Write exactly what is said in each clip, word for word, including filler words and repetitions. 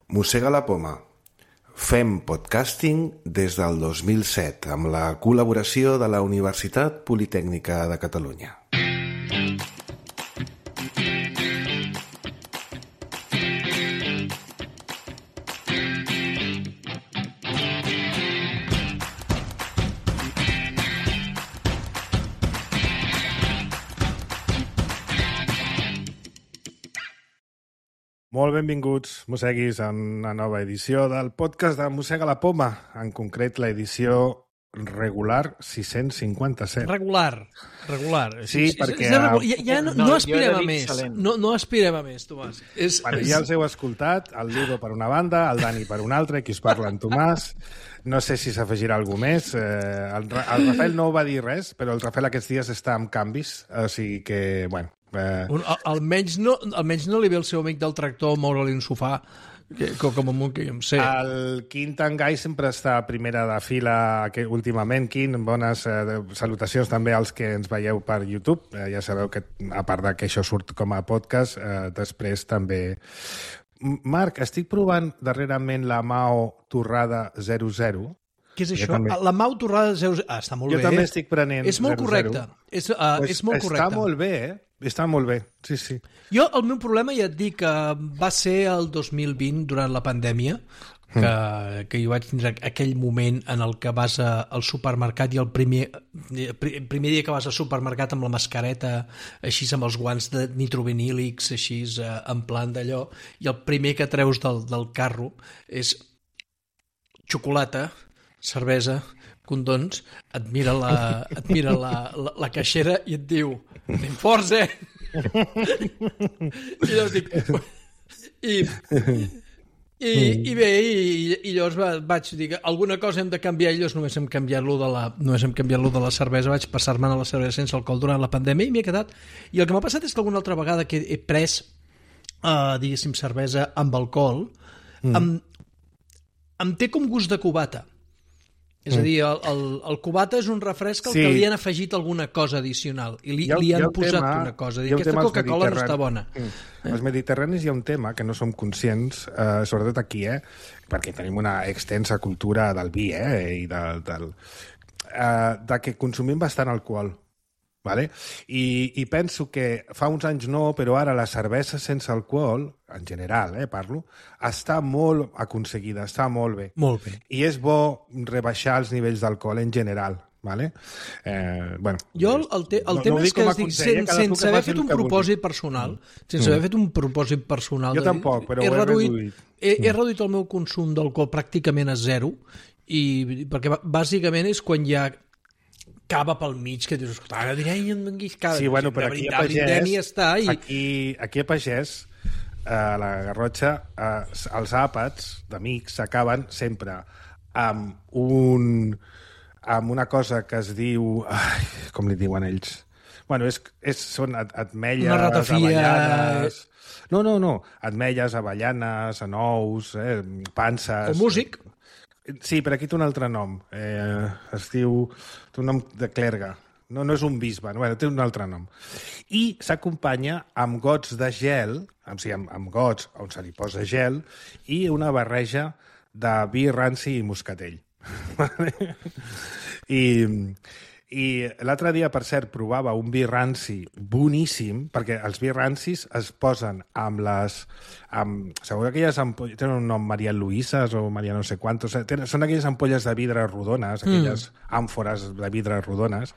Mossega la poma. Fem podcasting des del dos mil set amb la col·laboració de la Universitat Politècnica de Catalunya. Molt benvinguts, mosseguis, a una nova edició del podcast de Mossega la Poma, en concret l'edició regular sis-cents cinquanta-set. Regular, regular. Sí, és, perquè... És, és regular. Ja, ja no, no, No, aspirem jo a he més. dit No, no aspirem a més, Tomàs. És, Bueno, és... ja els heu escoltat, el Ludo per una banda, el Dani per una altra, qui us parla en Tomàs. No sé si s'afegirà algú més. Eh, el, el Rafael no va dir res, però el Rafael aquests dies està amb canvis, o sigui que, bueno... Eh... Un, al, almenys, no, almenys no li ve el seu amic del tractor moure-li un sofà, que, com amb un que jo em sé. El Quint Tangai sempre està a primera de fila que, últimament. Quint, bones eh, salutacions també als que ens veieu per YouTube. Eh, ja sabeu que, a part de que això surt com a podcast, eh, després també... Marc, estic provant darrerament la Mao Torrada zero zero. Què és Jo això? també. La Mau Torrada zero zero. Ah, està molt Jo bé. també estic prenent És molt zero zero. correcte. És, uh, Pues és molt correcte. Està molt bé, eh? Està molt bé, sí, sí. Jo, el meu problema, ja et dic, que va ser el dos mil vint, durant la pandèmia, que, mm. que jo vaig tindre aquell moment en el que vas a, al supermercat i el primer, el primer dia que vas al supermercat amb la mascareta, així amb els guants de nitrovinílics, així en plan d'allò, i el primer que treus del, del carro és xocolata, cervesa, condons, et mira la, et mira la, la, la caixera i et diu anem forts, eh? I llavors dic... I, i, i bé, i, i llavors va, vaig dir que alguna cosa hem de canviar, i llavors només hem canviat-lo de la, només hem canviat-lo de la cervesa, vaig passar-me a la cervesa sense alcohol durant la pandèmia i m'hi he quedat. I el que m'ha passat és que alguna altra vegada que he pres, uh, diguéssim, cervesa amb alcohol, mm. em, em té com gust de cubata. És a dir, el, el, el cubata és un refresc al sí. que li han afegit alguna cosa addicional i li, el, li han posat tema, una cosa. Dir, aquesta Coca-Cola no està bona. Mm. Eh? Els mediterranis hi ha un tema que no som conscients, eh, sobretot aquí, eh, perquè tenim una extensa cultura del vi, eh, i de, del, eh, de que consumim bastant alcohol. Vale? I, I penso que fa uns anys no, però ara la cervesa sense alcohol, en general, eh, parlo, està molt aconseguida, està molt bé. Molt bé. I és bo rebaixar els nivells d'alcohol en general. Vale? Eh, bueno, jo el, el, te, el no, tema no és que es dic, sen, sense haver fet un propòsit personal, sense mm. haver fet un propòsit personal... Jo de, tampoc, però he ho he reduït. reduït. He, he reduït el meu consum d'alcohol pràcticament a zero, i, perquè bàsicament és quan hi ha cava pel mig, que dius, ara diré, em venguis cava. Sí, bueno, però aquí a Pagès, està, i... aquí, aquí a Pagès, a la Garrotxa, eh, els àpats d'amics s'acaben sempre amb un... amb una cosa que es diu... Ai, com li diuen ells? Bueno, és, és, són ametlles, avellanes... No, no, no. Ametlles, avellanes, anous, eh, panses... O músic. Sí, però aquí té un altre nom. Eh, es diu... Té un nom de clergue. No, no és un bisbe, no, bueno, té un altre nom. I s'acompanya amb gots de gel, o sigui, amb, amb gots on se li posa gel, i una barreja de vi ranci i moscatell. I, i l'altre dia, per cert, provava un vi ranci boníssim, perquè els vi rancis es posen amb les... Amb, segur que aquelles ampolles... Tenen un nom, Maria Luises o Maria no sé quantos... Tenen, són aquelles ampolles de vidre rodones, aquelles mm. àmfores de vidre rodones,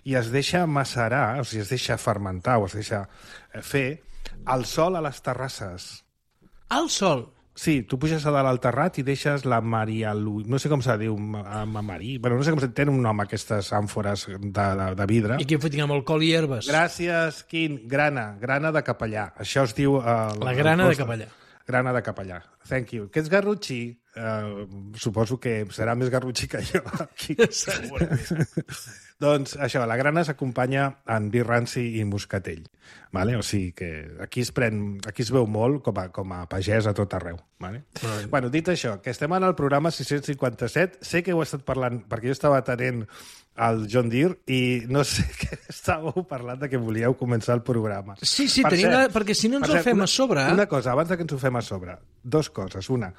i es deixa macerar, o sigui, es deixa fermentar o es deixa fer al sol a les terrasses. Al sol? Sí, tu puges a dalt al terrat i deixes la Maria Luisa... No sé com se diu, Marí... Bueno, no sé com se... Tenen un nom, aquestes àmfores de, de, de vidre. I què fotin amb alcohol i herbes? Gràcies, Quim. Grana. Grana de capellà. Això es diu... Uh, la grana de capellà. Grana de capellà. Thank you. Que ets garrotxí? Uh, suposo que serà més garrotxí que jo. Aquí. Segurament. Doncs això, la grana s'acompanya en vi ranci i moscatell. Vale? O sigui que aquí es, pren, aquí es veu molt com a, com a pagès a tot arreu. Vale? Right. Bueno, dit això, que estem en el programa sis-cents cinquanta-set, sé que heu estat parlant, perquè jo estava atenent al John Deere i no sé què estàveu parlant de que volíeu començar el programa. Sí, sí, per tenim cert, la... perquè si no ens per ho cert, fem una, a sobre... Una cosa, abans de que ens ho fem a sobre, dos coses. Una,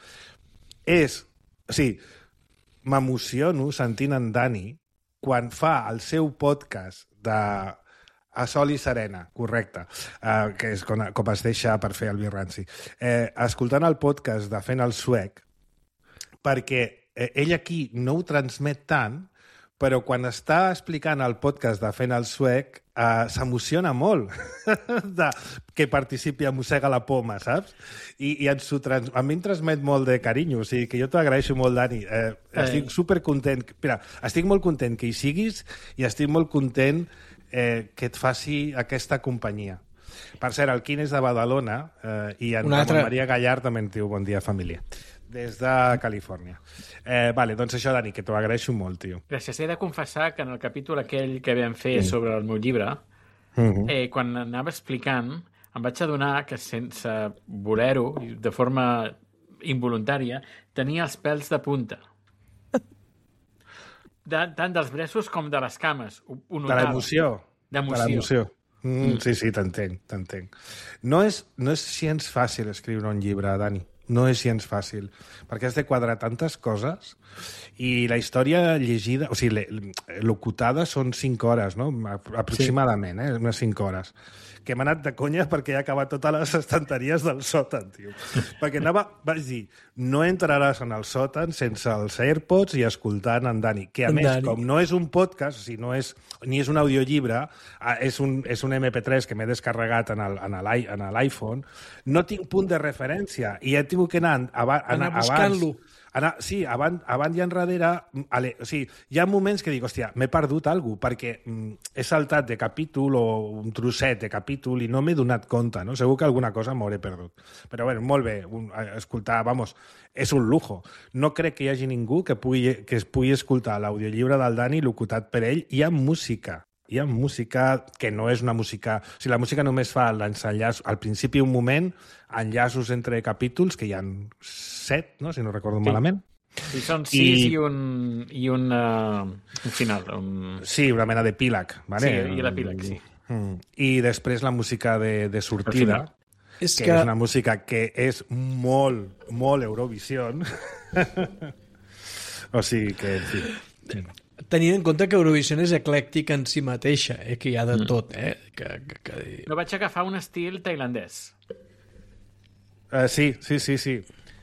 és... O sigui, m'emociono sentint en Dani quan fa el seu podcast de A Sol i Serena, correcte, uh, que és com, com es deixa per fer el Birranci. Eh, escoltant el podcast de Fent el Suec, perquè eh, ell aquí no ho transmet tant, però quan està explicant el podcast de Fent el Suec eh, s'emociona molt de que participi a Mossega la Poma, saps? I, i ens ho trans... a mi em transmet molt de carinyo, o sigui que jo t'ho agraeixo molt, Dani. Eh, eh. Estic supercontent. Mira, estic molt content que hi siguis i estic molt content eh, que et faci aquesta companyia. Per cert, el Quim és de Badalona eh, i en Ramon altra... Maria Gallard també en diu bon dia, família. Des de Califòrnia. Eh, vale, doncs això, Dani, que t'ho agraeixo molt, tio. Gràcies. He de confessar que en el capítol aquell que vam fer mm. sobre el meu llibre, mm-hmm. eh, quan anava explicant, em vaig adonar que sense voler-ho, de forma involuntària, tenia els pèls de punta. De, tant dels braços com de les cames. Ho, ho de l'emoció. D'emoció. De l'emoció. Mm, sí, sí, t'entenc, t'entenc. No és, no és gens fàcil escriure un llibre, Dani. No és gens fàcil, perquè has de quadrar tantes coses i la història llegida, o sigui, locutada són cinc hores, no? Aproximadament, sí. eh? Unes cinc hores. Que m'ha anat de conya perquè he acabat totes les estanteries del sòtan, tio. Perquè anava, vaig dir, no entraràs en el sòtan sense els AirPods i escoltant en Dani, que a en més, Dani. Com no és un podcast, o sigui, no és, ni és un audiollibre, és un, és un eme pe tres que m'he descarregat en l'iPhone, no tinc punt de referència i he tingut que anar, anar, anar buscant-lo. Anar, sí, avant, avant i enrere, ale, o sigui, hi ha moments que dic, hòstia, m'he perdut alguna cosa, perquè mm, he saltat de capítol o un trosset de capítol i no m'he donat compte, no? Segur que alguna cosa m'hauré perdut. Però bueno, molt bé, un, escoltar, vamos, és un lujo. No crec que hi hagi ningú que, pugui, que es pugui escoltar l'audiollibre del Dani locutat per ell i amb música. Hi ha música que no és una música... O sigui, la música només fa l'enllaç... Al principi, un moment, enllaços entre capítols, que hi ha set, no? Si no recordo sí. malament. Sí, són sis i, i un, i un, uh, un final. Un... Sí, una mena d'epíleg. Vale? Sí, i l'epíleg, sí. Mm. I després la música de, de sortida, és que, que és una música que és molt, molt Eurovision. O sigui que, en fi... Tenint en compte que Eurovision és eclèctic en si mateixa, eh? Que hi ha de tot. Eh? Que, que, que... No vaig agafar un estil tailandès. Uh, sí, sí, sí, sí.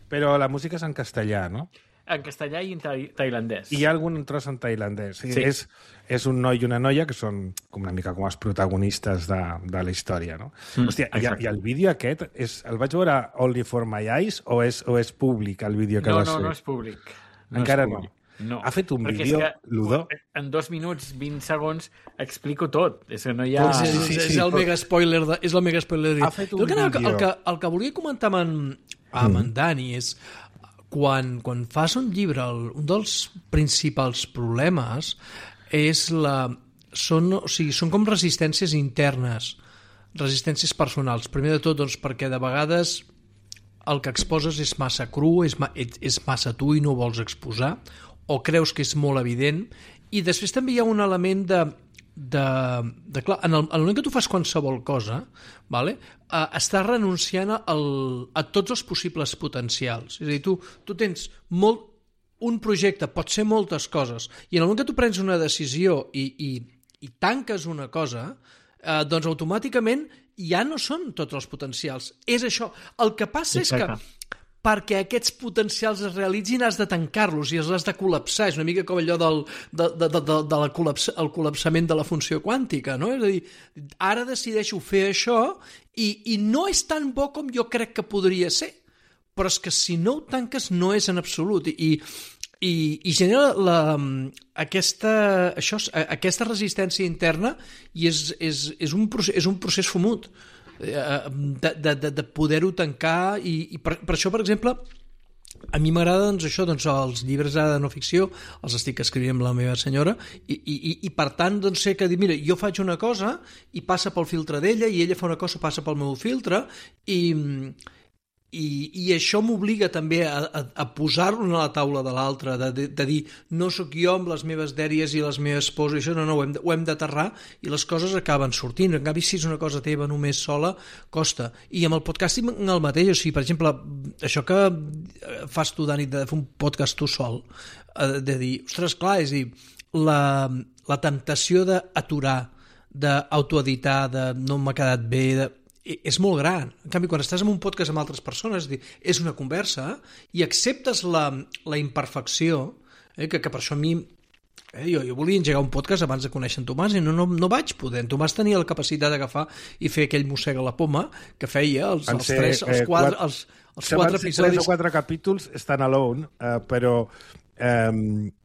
Però la música és en castellà, no? En castellà i en ta tailandès. I hi ha algun tros en tailandès. Sí. Sí. És, és un noi i una noia que són com una mica com els protagonistes de, de la història, no? Mm, Hòstia, i, i el vídeo aquest, és, el vaig veure Only for My Eyes o és, o és públic el vídeo que no, vas no, fer? No, no és públic. No Encara és públic. no. No. Ha fet un Perquè vídeo, Ludó? En dos minuts, vint segons, explico tot. És que no hi ha... Sí, sí, sí, és, el mega spoiler de, és el mega spoiler de... Ha fet un el, que, vídeo. El, que, el que volia comentar amb en, amb mm. en Dani és quan, quan fas un llibre, el, un dels principals problemes és la... Són, o sigui, són com resistències internes, resistències personals. Primer de tot, doncs, perquè de vegades el que exposes és massa cru, és, ma, és massa tu i no ho vols exposar, o creus que és molt evident, i després també hi ha un element de... de, de clar, en el, en el moment que tu fas qualsevol cosa, vale, uh, estàs renunciant al, a tots els possibles potencials. És a dir, tu, tu tens molt, un projecte, pot ser moltes coses, i en el moment que tu prens una decisió i, i, i tanques una cosa, uh, doncs automàticament ja no són tots els potencials. És això. El que passa Exacte. és que perquè aquests potencials es realitzin has de tancar-los i els has de col·lapsar. És una mica com allò del de, de, de, de, de la col·laps, el col·lapsament de la funció quàntica, no? És a dir, ara decideixo fer això i, i no és tan bo com jo crec que podria ser, però és que si no ho tanques no és en absolut i, i, i genera la, aquesta, això, aquesta resistència interna i és, és, és, un, procés, és un procés fumut de, de, de, de poder-ho tancar i, i per, per això, per exemple, a mi m'agrada doncs, això, doncs, els llibres de no ficció els estic escrivint amb la meva senyora i, i, i per tant doncs, sé que dir, mira, jo faig una cosa i passa pel filtre d'ella i ella fa una cosa, passa pel meu filtre i, I, i això m'obliga també a, a, a posar-lo a la taula de l'altre, de, de, de dir, no sóc jo amb les meves dèries i les meves pors, i això no, no, ho hem, ho hem d'aterrar i les coses acaben sortint. En canvi, si és una cosa teva només sola, costa. I amb el podcasting el mateix, o sigui, per exemple, això que fas tu, Dani, de fer un podcast tu sol, de dir, ostres, clar, és dir, la, la temptació d'aturar, d'autoeditar, de no m'ha quedat bé, de és molt gran. En canvi, quan estàs en un podcast amb altres persones, és una conversa i acceptes la, la imperfecció, eh, que, que per això a mi eh, jo, jo volia engegar un podcast abans de conèixer en Tomàs i no, no, no vaig poder. En Tomàs tenia la capacitat d'agafar i fer aquell mossega la poma que feia els, els, tres, els, quatre, eh, els, els quatre episodis. Tres o quatre capítols stand alone, eh, però eh,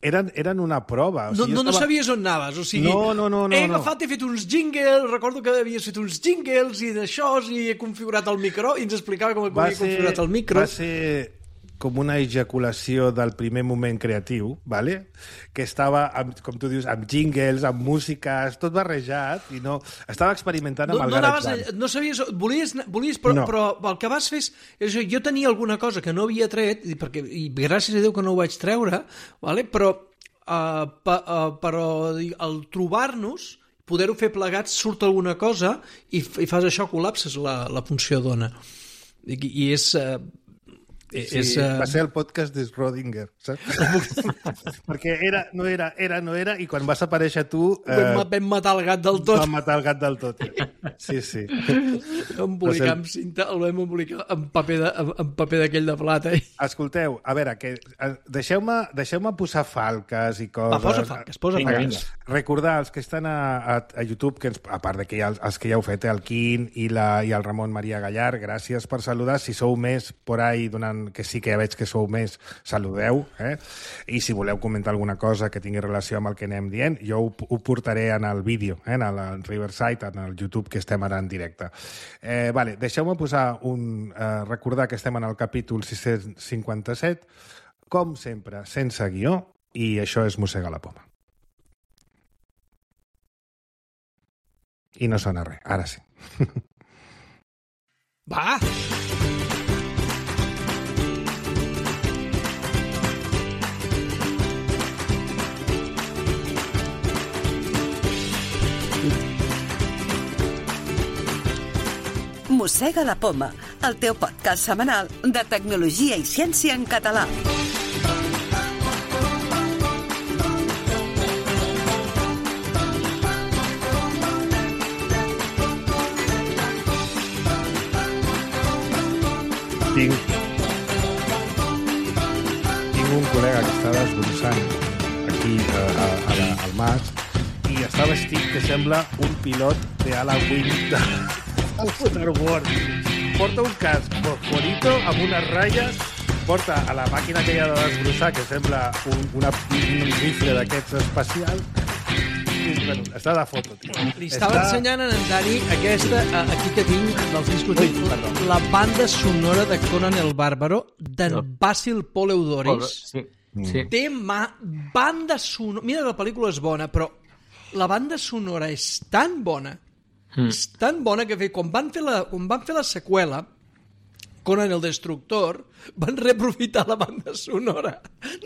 eren, eren una prova. O sigui, no, no, estava... no sabies on anaves, o sigui, no, no, no, no, he agafat, no. he fet uns jingles, recordo que havies fet uns jingles i d'això, i he configurat el micro, i ens explicava com havia configurat el micro. Va ser com una ejaculació del primer moment creatiu, ¿vale? Que estava, amb, com tu dius, amb jingles, amb músiques, tot barrejat, i no... Estava experimentant amb no, el no GarageBand. No sabies... Volies, volies però, no. però el que vas fer és... és jo tenia alguna cosa que no havia tret, i, perquè, i gràcies a Déu que no ho vaig treure, ¿vale? però, uh, pa, uh, però al trobar-nos, poder-ho fer plegats, surt alguna cosa, i, i fas això, col·lapses la, la funció d'ona. I, i és... Uh, Sí, és, uh... va ser el podcast de Schrödinger, saps? Perquè era, no era, era, no era, i quan vas aparèixer tu... Eh, vam, vam matar el gat del tot. Vam matar el gat del tot. Sí, sí. Vam embolicar ser... amb cinta, el vam embolicar amb paper, de, amb paper d'aquell de plata. Escolteu, a veure, que, deixeu-me deixeu-me posar falques i coses. Va, posa falques, posa vinga, falques. Vinga. Recordar els que estan a, a, a YouTube, que ens, a part de que hi ha els, els que ja heu fet, el Quim i, la, i el Ramon Maria Gallar, gràcies per saludar. Si sou més por ahí donant que sí que ja veig que sou més, saludeu, eh? I si voleu comentar alguna cosa que tingui relació amb el que anem dient, jo ho, ho portaré en el vídeo, eh? En el Riverside, en el YouTube, que estem ara en directe. Eh, vale, deixeu-me posar un... Eh, recordar que estem en el capítol sis-cents cinquanta-set, com sempre, sense guió, i això és Mossega la Poma. I no sona res, ara sí. Va! Mossega la Poma, el teu podcast setmanal de tecnologia i ciència en català. Tinc, tinc un col·lega que està desbrossant aquí a, a, a la, al mas i està vestit que sembla un pilot de Halloween de, del Waterworld. Porta un casc fosforito amb unes ratlles, porta a la màquina que hi ha de desbrossar, que sembla un, una, un rifle d'aquests espacials. Bueno, està de foto, tio. Li estava està... ensenyant a en Dani aquesta, aquí que tinc, dels discos, Ui, la banda sonora de Conan el Bàrbaro, d'en no. Basil Poleudoris. Sí, sí. Té mà, banda sonora... Mira, la pel·lícula és bona, però la banda sonora és tan bona, mm. és tan bona que quan van fer la, quan van fer la seqüela, Conan el Destructor, van reaprofitar la banda sonora.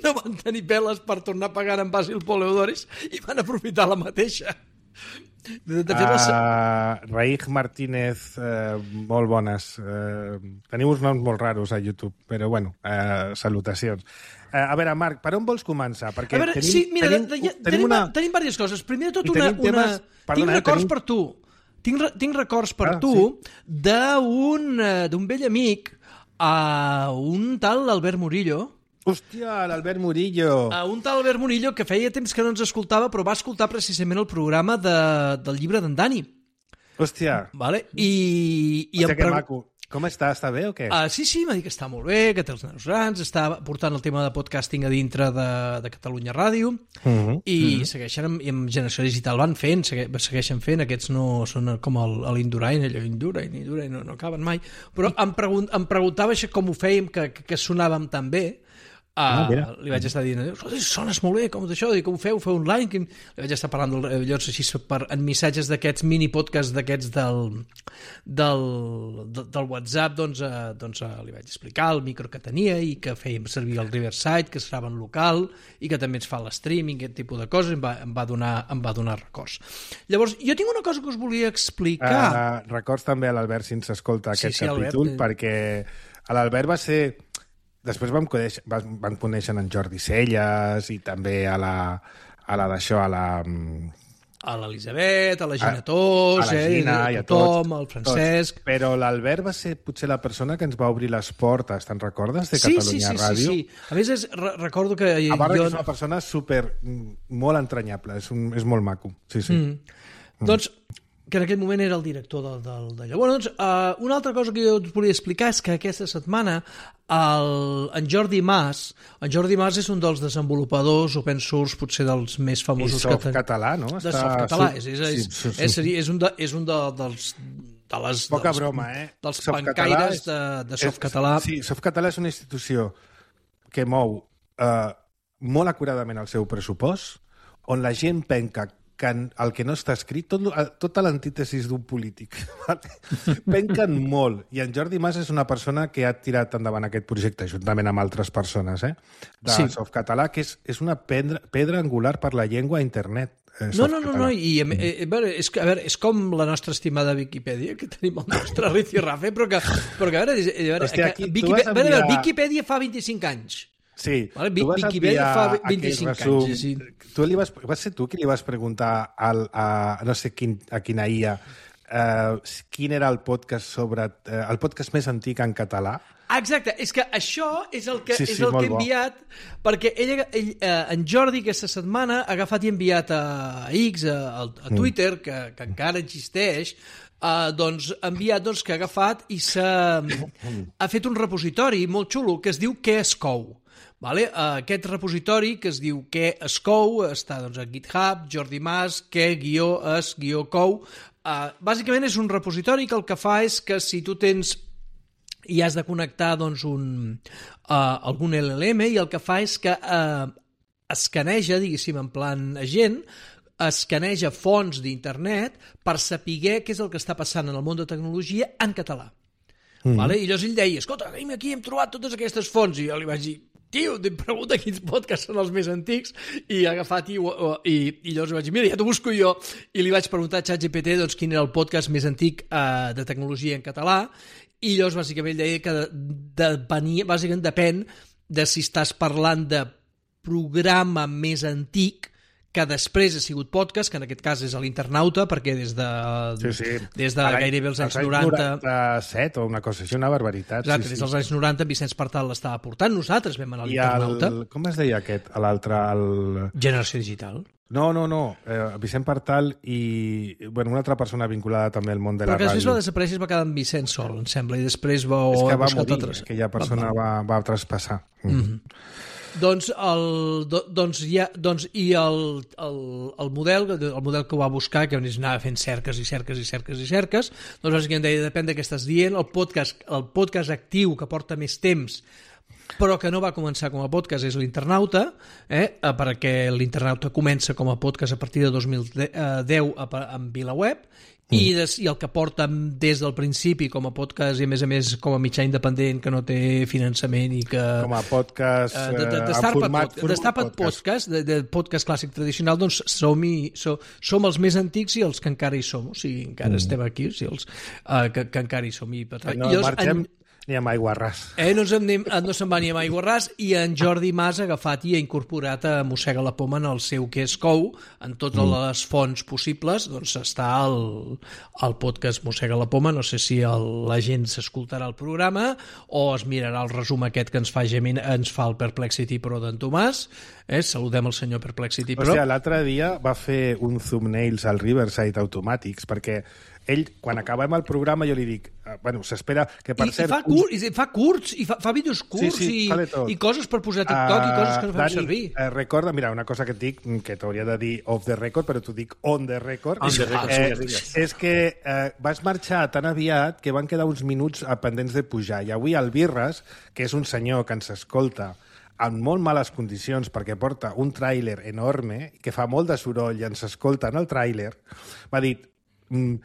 No van tenir peles per tornar a pagar en Basil Poleudoris i van aprofitar la mateixa. De, de fet, uh, la... Raig Martínez, uh, molt bones. Uh, teniu uns noms molt raros a YouTube, però bueno, uh, salutacions. Uh, a veure, Marc, per on vols començar? Perquè a veure, tenim, sí, mira, tenim, de, de, tenim, tenim, una... tenim diverses coses. Primer de tot, una, una... Temes... Perdona, tinc records tenim... per tu. Tinc, tinc records per ah, tu sí? d'un d'un vell amic, a un tal Albert Murillo. Hòstia, l'Albert Murillo. A un tal Albert Murillo que feia temps que no ens escoltava, però va escoltar precisament el programa de, del llibre d'en Dani. Hòstia. Vale? I, i Hòstia, em que pregu... maco. Com està? Està bé o què? Uh, sí, sí, m'ha dit que està molt bé, que té els nanos grans, està portant el tema de podcasting a dintre de, de Catalunya Ràdio, uh -huh. i uh -huh. segueixen amb, amb Generació Digital, van fent, segue, segueixen fent, aquests no són com l'Indurain, allò Indurain, Indurain, no, no acaben mai, però em, pregunt, em preguntava això com ho fèiem, que, que, que sonàvem tan bé, Uh, ah, li vaig estar dient, sones molt bé, com d'això, com ho feu, feu un like, li vaig estar parlant del, llavors així per, en missatges d'aquests mini podcasts d'aquests del, del, del WhatsApp, doncs, uh, doncs uh, li vaig explicar el micro que tenia i que fèiem servir el Riverside, que serà en local i que també ens fa l'streaming, aquest tipus de coses, em va, em va, donar, em va donar records. Llavors, jo tinc una cosa que us volia explicar. Uh, records també a l'Albert si ens escolta aquest sí, sí, capítol, Albert, perquè l'Albert va ser... Després vam conèixer, vam conèixer en Jordi Celles i també a la, a la d'això, a la... A l'Elisabet, a la Gina Tos, a la Gina eh, i a tothom, tots, al Francesc... Tots. Però l'Albert va ser potser la persona que ens va obrir les portes, te'n recordes, de sí, Catalunya sí, sí, Ràdio? Sí, sí. A més, és, re recordo que... A part jo... que és una persona super, molt entranyable, és, un, és molt maco. Sí, sí. Mm. Mm. Doncs, que en aquell moment era el director del, del, d'allò. Bueno, doncs, uh, una altra cosa que jo us volia explicar és que aquesta setmana el, en Jordi Mas, en Jordi Mas és un dels desenvolupadors open source potser dels més famosos... I Softcatalà, no? De Softcatalà, és, és, és, sí, sí, sí. és, és un, de, és un de, dels... De les, Poca dels, broma, eh? Dels pancaires de, de Softcatalà. Sí, Softcatalà és una institució que mou eh, molt acuradament el seu pressupost, on la gent penca que el que no està escrit, tot, tota l'antítesis d'un polític. Penquen molt. I en Jordi Mas és una persona que ha tirat endavant aquest projecte, juntament amb altres persones, eh? de sí. Softcatalà, que és, és una pedra, pedra angular per la llengua a internet. Eh, no, no, no, no, i eh, eh, és, a veure, és com la nostra estimada Viquipèdia, que tenim el nostre Rici Rafe, però que, però que a veure, a veure, Hòstia, aquí, Viquipèdia, enviar... a veure, Viquipèdia fa vint-i-cinc anys. Sí, vale, tu vas Viquipèdia fa vint-i-cinc anys. Sí. Tu li vas, vas ser tu qui li vas preguntar al, a no sé quin, a quina I A uh, quin era el podcast sobre uh, el podcast més antic en català? Exacte, és que això és el que, sí, és sí, el que he enviat, bo. Perquè ell, ell, eh, en Jordi aquesta setmana ha agafat i enviat a X, a, a Twitter, mm. que, que encara existeix, Uh, doncs, ha enviat doncs, que ha agafat i s'ha ha fet un repositori molt xulo que es diu Què es cou. Vale? Uh, aquest repositori que es diu Què es cou està doncs, a GitHub, Jordi Mas, què guió es guió cou. Uh, bàsicament és un repositori que el que fa és que si tu tens i has de connectar doncs, un, uh, algun L L M i el que fa és que uh, escaneja, diguéssim, en plan agent, escaneja fonts d'internet per saber què és el que està passant en el món de tecnologia en català. Mm. Vale? I llavors ell deia, escolta, aquí hem trobat totes aquestes fonts, i jo li vaig dir, tio, em pregunta quins podcasts són els més antics, i ha agafat i, i, i llavors vaig dir, mira, ja t'ho busco jo, i li vaig preguntar a ChatGPT doncs, quin era el podcast més antic eh, de tecnologia en català, i llavors bàsicament deia que de, de, venia, bàsicament depèn de si estàs parlant de programa més antic que després ha sigut podcast, que en aquest cas és a l'Internauta, perquè des de, sí, sí. des de gairebé els anys noranta... noranta-set o una cosa així, una barbaritat. Exacte, sí, des sí. dels anys noranta Vicenç Partal l'estava portant, nosaltres vam anar a l'Internauta. El, com es deia aquest, l'altre? El... Generació Digital. No, no, no, eh, Vicent Partal i bueno, una altra persona vinculada també al món de Però la ràdio. Però que després va desaparèixer i va quedar en Vicent sol, em sembla, i després va... És que va morir, altres... aquella persona va, va, va traspassar. Mm. Mm-hmm. Doncs, el, do, doncs, ja, doncs i el, el, el model el model que ho va buscar, que anava fent cerques i cerques i cerques i cerques, doncs bàsicament deia, depèn de què estàs dient, el podcast, el podcast actiu que porta més temps però que no va començar com a podcast és l'Internauta, eh? perquè l'Internauta comença com a podcast a partir de dos mil deu amb VilaWeb, Mm. I, des, i el que porta des del principi com a podcast i a més a més com a mitjà independent que no té finançament i que... Com a podcast uh, de, de, de en format, pod, de podcast, podcast de, de podcast clàssic tradicional, doncs som, i, so, som els més antics i els que encara hi som, o sigui, encara mm. estem aquí, o sigui, els uh, que, que encara hi som. I, no, I marxem... En... Ni amb aigua ras. Eh, no, anem, no se'n va ni amb aigua ras, i en Jordi Mas ha agafat i ha incorporat a Mossega la Poma en el seu Què es cou, en totes mm. les fonts possibles, doncs està el, el podcast Mossega la Poma, no sé si el, la gent s'escoltarà el programa o es mirarà el resum aquest que ens fa, Gemin, ens fa el Perplexity Pro d'en Tomàs, eh? Saludem el senyor Perplexity Pro. O sigui, l'altre dia va fer un thumbnails al Riverside Automatics, perquè ell, quan acabem el programa, jo li dic, uh, bueno, s'espera que per I, cert... I fa, cur, i fa curts, i fa, fa vídeos curts, sí, sí, i, i coses per posar a TikTok, uh, i coses que no fem Dani, servir. Uh, recorda, mira, una cosa que et dic, que t'hauria de dir off the record, però t'ho dic on the record. On the record, eh, sí, és que uh, vas marxar tan aviat que van quedar uns minuts pendents de pujar, i avui el Birres, que és un senyor que ens escolta en molt males condicions, perquè porta un tràiler enorme, que fa molt de soroll i ens escolta en el tràiler, m'ha dit... Mm,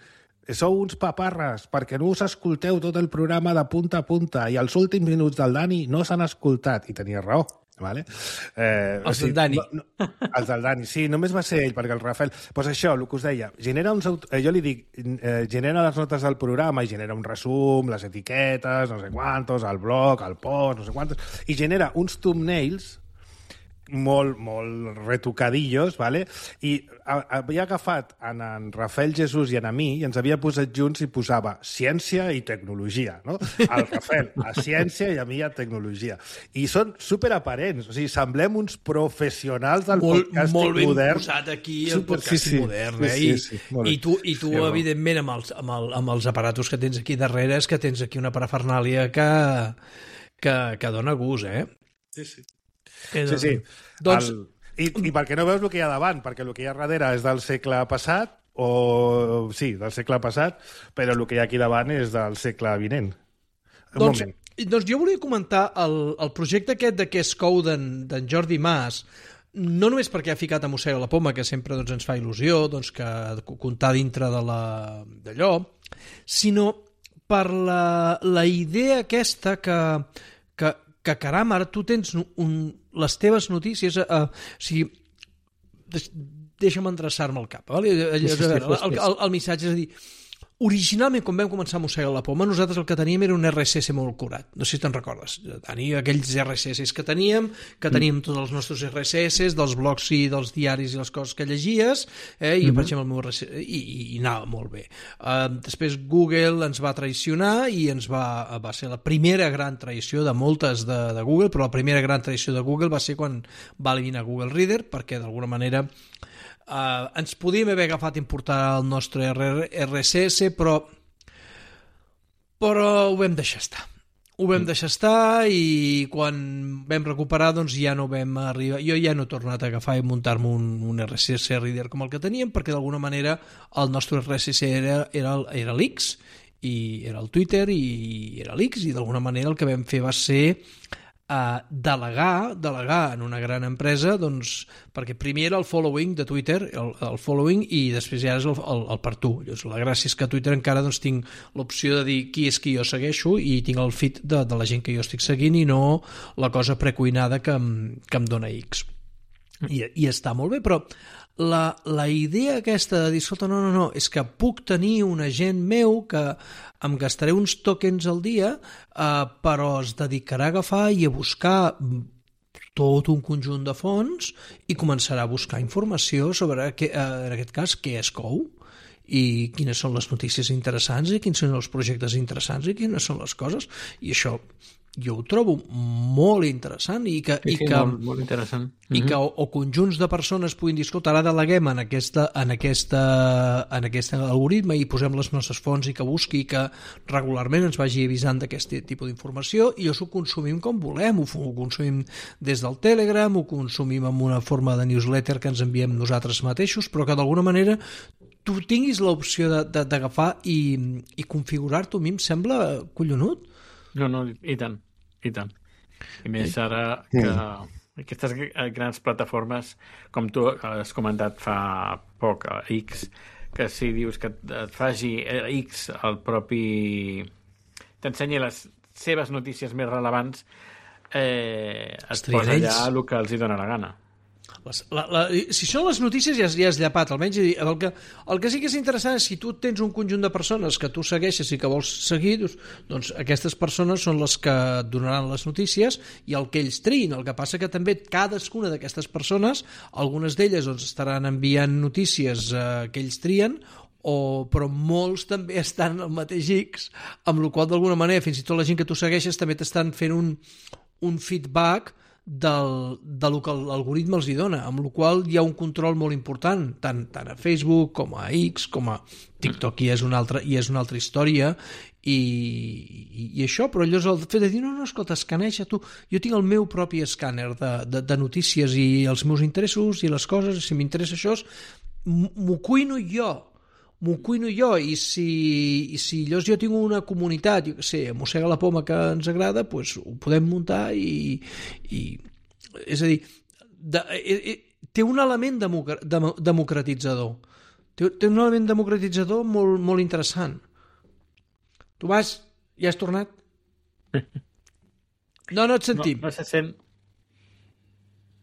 sou uns paparres, perquè no us escolteu tot el programa de punta a punta i els últims minuts del Dani no s'han escoltat. I tenia raó. Vale? Eh, els o sigui, del Dani. No, no, els del Dani, sí, només va ser ell, perquè el Rafael... Doncs pues això, el que us deia, genera uns, eh, jo li dic, eh, genera les notes del programa i genera un resum, les etiquetes, no sé quantos, el blog, el post, no sé quantos, i genera uns thumbnails molt, molt retocadillos, ¿vale? I havia agafat en, en Rafael Jesús i en a mi i ens havia posat junts i posava ciència i tecnologia, no? El Rafael a ciència i a mi a tecnologia. I són superaparents, o sigui, semblem uns professionals del molt, podcasting molt ben modern. posat aquí el Super, podcasting sí, sí, modern, eh? sí, sí, sí, I, i tu, i tu sí, evidentment, amb els, amb, el, amb els aparatos que tens aquí darrere, és que tens aquí una parafernàlia que, que, que dona gust, eh? Sí, sí. Eh, Sí, sí. Doncs... El, i, I perquè no veus el que hi ha davant, perquè el que hi ha darrere és del segle passat, o sí, del segle passat, però el que hi ha aquí davant és del segle vinent. Un doncs, moment. doncs jo volia comentar el, el projecte aquest de Què es cou d'en Jordi Mas, no només perquè ha ficat a Mossega la Poma, que sempre doncs, ens fa il·lusió doncs, que comptar dintre de la d'allò, sinó per la, la idea aquesta que, que, que caram, ara tu tens un, les teves notícies, eh, o sigui, deix, deixa'm endreçar-me el cap. Vale? Allò, a veure, el, el, el missatge és a dir, originalment, quan vam començar a Mossega la Poma, nosaltres el que teníem era un R S S molt curat. No sé si te'n recordes. Tenia aquells R S S que teníem, que teníem tots els nostres R S S, dels blogs i dels diaris i les coses que llegies, eh, i, mm-hmm. per exemple, el meu R S S, i, i anava molt bé. Uh, després Google ens va traicionar i ens va, va ser la primera gran traïció de moltes de, de Google, però la primera gran traïció de Google va ser quan va eliminar Google Reader, perquè d'alguna manera Uh, ens podíem haver agafat i importar el nostre R S S, però però ho vam deixar estar. Ho vam deixar estar i quan vam recuperar doncs ja no vam arribar. Jo ja no he tornat a agafar i muntar-me un, un R S S reader com el que teníem, perquè d'alguna manera el nostre R S S era, era, era l'X, i era el Twitter i era l'X, i d'alguna manera el que vam fer va ser Uh, delegar, delegar en una gran empresa, doncs, perquè primer era el following de Twitter, el, el following, i després ja és el, el, el per tu. Llavors, la gràcia és que a Twitter encara doncs, tinc l'opció de dir qui és qui jo segueixo i tinc el feed de, de la gent que jo estic seguint i no la cosa precuinada que em, que em dona X. I, i està molt bé, però la, la idea aquesta de dir, escolta, no, no, no, és que puc tenir un agent meu que em gastaré uns tokens al dia, eh, però es dedicarà a agafar i a buscar tot un conjunt de fonts i començarà a buscar informació sobre, que, eh, en aquest cas, què es cou i quines són les notícies interessants i quins són els projectes interessants i quines són les coses. I això jo ho trobo molt interessant i que, sí, sí, i que, molt, molt interessant. i que o, o conjunts de persones puguin dir, escolta, ara deleguem en, aquesta, en, aquesta, en aquest algoritme i posem les nostres fonts i que busqui i que regularment ens vagi avisant d'aquest tipus d'informació i això ho consumim com volem, ho, ho consumim des del Telegram, ho consumim en una forma de newsletter que ens enviem nosaltres mateixos, però que d'alguna manera tu tinguis l'opció d'agafar i, i configurar-t'ho, a mi em sembla collonut. No, no, i tant, i tant. I més ara que aquestes grans plataformes, com tu has comentat fa poc, X, que si dius que et faci X el propi... t'ensenyi les seves notícies més relevants, eh, et posa allà el que els hi dona la gana. Les, la, la, si són les notícies ja, ja has llapat, almenys el que, el que sí que és interessant és si tu tens un conjunt de persones que tu segueixes i que vols seguir, doncs, doncs aquestes persones són les que et donaran les notícies i el que ells triïn. El que passa que també cadascuna d'aquestes persones, algunes d'elles doncs, estaran enviant notícies eh, que ells trien, o, però molts també estan en el mateix X, amb la qual d'alguna manera fins i tot la gent que tu segueixes també t'estan fent un, un feedback del, del que l'algoritme els hi dona, amb la qual hi ha un control molt important, tant, tant a Facebook com a X, com a TikTok, i és una altra, i és una altra història, i, i, i això, però allò és el fet de dir, no, no, escolta, escaneja tu, jo tinc el meu propi escàner de, de, de notícies i els meus interessos i les coses, si m'interessa això, m'ho cuino jo, m'ho cuino jo, i si, i si llavors jo tinc una comunitat, jo què sé, Mossega la Poma que ens agrada, doncs ho podem muntar i, i, és a dir, de, eh, té un element democratitzador. Té, té un element democratitzador molt, molt interessant. Tu vas... Ja has tornat? No, no et sentim. No, no se sent.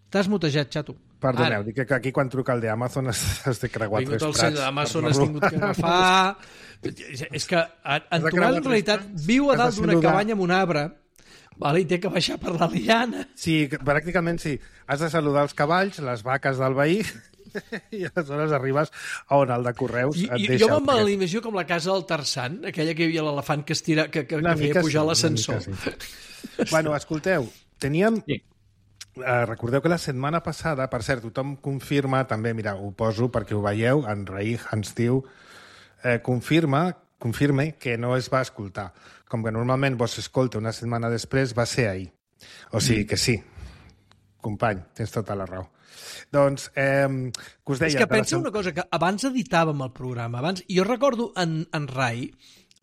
T'has mutejat, xato. Perdoneu, dic que aquí quan truca el d'Amazon has, has de creuar tres prats. prats. D'Amazon has tingut que agafar... És que en Tomàs, en realitat, viu a dalt d'una cabanya amb un arbre, vale, i té que baixar per la liana. Sí, pràcticament sí. Has de saludar els cavalls, les vaques del veí, i aleshores arribes a on el de correus et I, deixa. Jo me'n l'imagino com la casa del Tarzan, aquella que hi havia l'elefant que, estira, que, que, que feia pujar sí, l'ascensor. Sí. Bueno, escolteu, teníem... Sí. Uh, recordeu que la setmana passada, per cert, tothom confirma, també, mira, ho poso perquè ho veieu, en Raig ens diu, eh, confirma, confirme que no es va escoltar. Com que normalment vos escolta una setmana després, va ser ahir. O sigui mm. que sí, company, tens tota la raó. Doncs, eh, que us deia... És que pensa la... una cosa, que abans editàvem el programa, abans, jo recordo en, en Rai,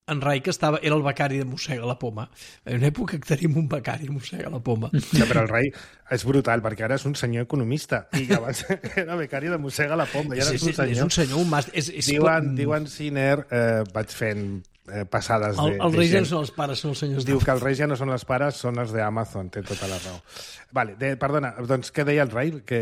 en Rai que estava, era el becari de Mossega la Poma. En una època que tenim un becari de Mossega la Poma. Ja, però el Rai és brutal, perquè ara és un senyor economista, i abans era becari de Mossega la Poma, i ara sí, és un senyor... És un senyor, un màster... És, és... Diuen, diuen Siner, eh, vaig fent eh, passades de... El, el Reis ja no són els pares, són els senyors. Diu que els Reis ja no són els pares, són els d'Amazon, té tota la raó. Vale, de, perdona, doncs què deia el Rai? Que...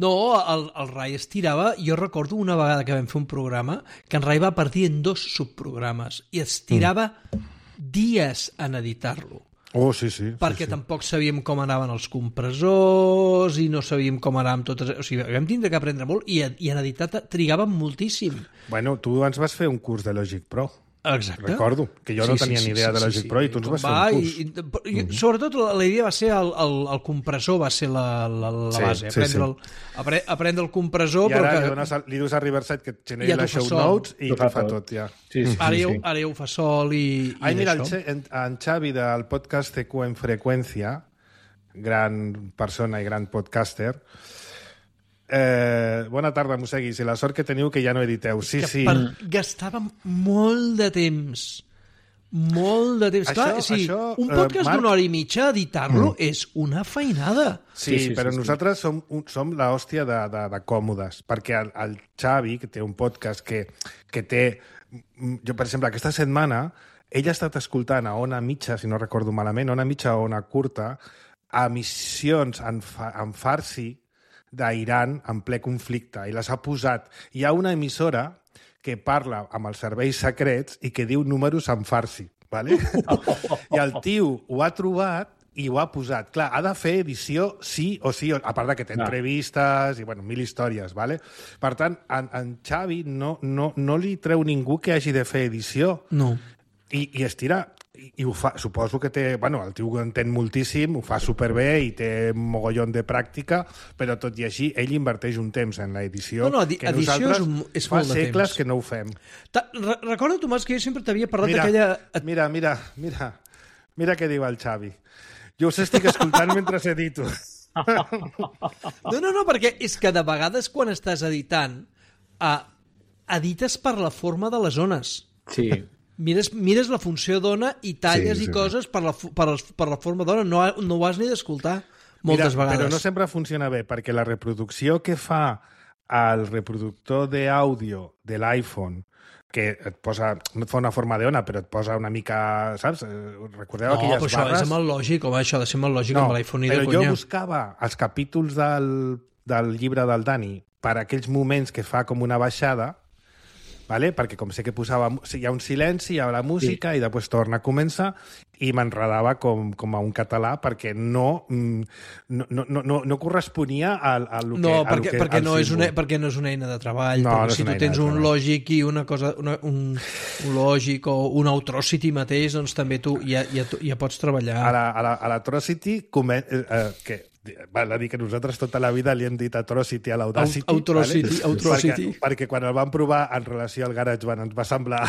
No, el, el Rai es tirava... Jo recordo una vegada que vam fer un programa que en Rai va partir en dos subprogrames i es tirava mm. dies en editar-lo. Oh, sí, sí. Perquè sí, sí. tampoc sabíem com anaven els compressors i no sabíem com anàvem totes... O sigui, vam tindre que aprendre molt i, i en editar trigàvem moltíssim. Bueno, tu ens vas fer un curs de Logic Pro. Exacte. Recordo, que jo sí, no tenia sí, ni idea sí, de Logic sí, Pro sí. i tu ens vas va, fer un curs. I, i, i, mm-hmm. Sobretot la, la idea va ser el, el, el compressor, va ser la, la, la sí, base. Sí, aprendre, sí. El, apre, aprendre el compressor... I ara però que... li, dones, li dius a Riverside que et generi ja les show sol. notes i t'ho fa tot, tot ja. Sí, sí, ara, sí, ja, sí. ara ja ho fa sol i, i Ai, mira, això. en, en Xavi del podcast C Q en Freqüència, gran persona i gran podcaster, Eh, bona tarda, Mosseguis, i la sort que teniu que ja no editeu. Sí, que sí. Per... Gastàvem molt de temps. Molt de temps. Això, Clar, sí, això, un podcast eh, Marc... d'una hora i mitja, editar-lo, mm. és una feinada. Sí, sí, sí, però sí, nosaltres som, un, som l'hòstia de, de, de còmodes, perquè el, el Xavi, que té un podcast que, que té... Jo, per exemple, aquesta setmana, ell ha estat escoltant a Ona Mitja, si no recordo malament, Ona Mitja o Ona Curta, emissions en, fa, en farsi d'Iran en ple conflicte, i les ha posat. Hi ha una emissora que parla amb els serveis secrets i que diu números en farsi, ¿vale? I el tio ho ha trobat i ho ha posat. Clar, ha de fer edició sí o sí, a part de que té entrevistes i, bueno, mil històries, ¿vale? Per tant, en, en Xavi no, no, no li treu ningú que hagi de fer edició. No. I, i es tira... I, i ho fa, suposo que té... Bueno, el tio ho entén moltíssim, ho fa superbé i té un mogollon de pràctica, però tot i així, ell inverteix un temps en l'edició No, no, edi que edició nosaltres és, un, és fa molt de segles temps. que no ho fem. Re recorda, Tomàs, que jo sempre t'havia parlat Mira, d'aquella... mira, mira, mira, mira què diu el Xavi. Jo us estic escoltant mentre edito. No, no, no, perquè és que de vegades quan estàs editant, eh, edites per la forma de les ones. Sí. Mires, mires la funció d'ona i talles sí, sí, i coses per la, per, per la forma d'ona. No, no ho has ni d'escoltar moltes Mira, vegades. Però no sempre funciona bé, perquè la reproducció que fa el reproductor d'àudio de l'iPhone, que et posa, no et fa una forma d'ona, però et posa una mica, saps? Recordeu no, aquelles però això barres? és amb el lògic, home, això ha de ser amb el lògic, no, amb l'iPhone i de però conya. jo buscava els capítols del, del llibre del Dani per aquells moments que fa com una baixada, vale? Perquè com sé que posava... Hi ha un silenci, hi ha la música sí. i després torna a començar i m'enredava com, com a un català perquè no, no, no, no, no corresponia a, a lo que... No, a perquè, lo que, perquè, no és símbol. una, perquè no és una eina de treball. No, perquè no és si una tu eina tens de un treball. lògic i una cosa, una, un, un lògic o un Atrocity mateix, doncs també tu ja, ja, ja pots treballar. A la, a la, a l'Atrocity, eh, eh, que val a dir que nosaltres tota la vida li hem dit Atrocity a l'Audacity. Atrocity, vale? Atrocity. Perquè, perquè quan el vam provar en relació al GarageBand ens va semblar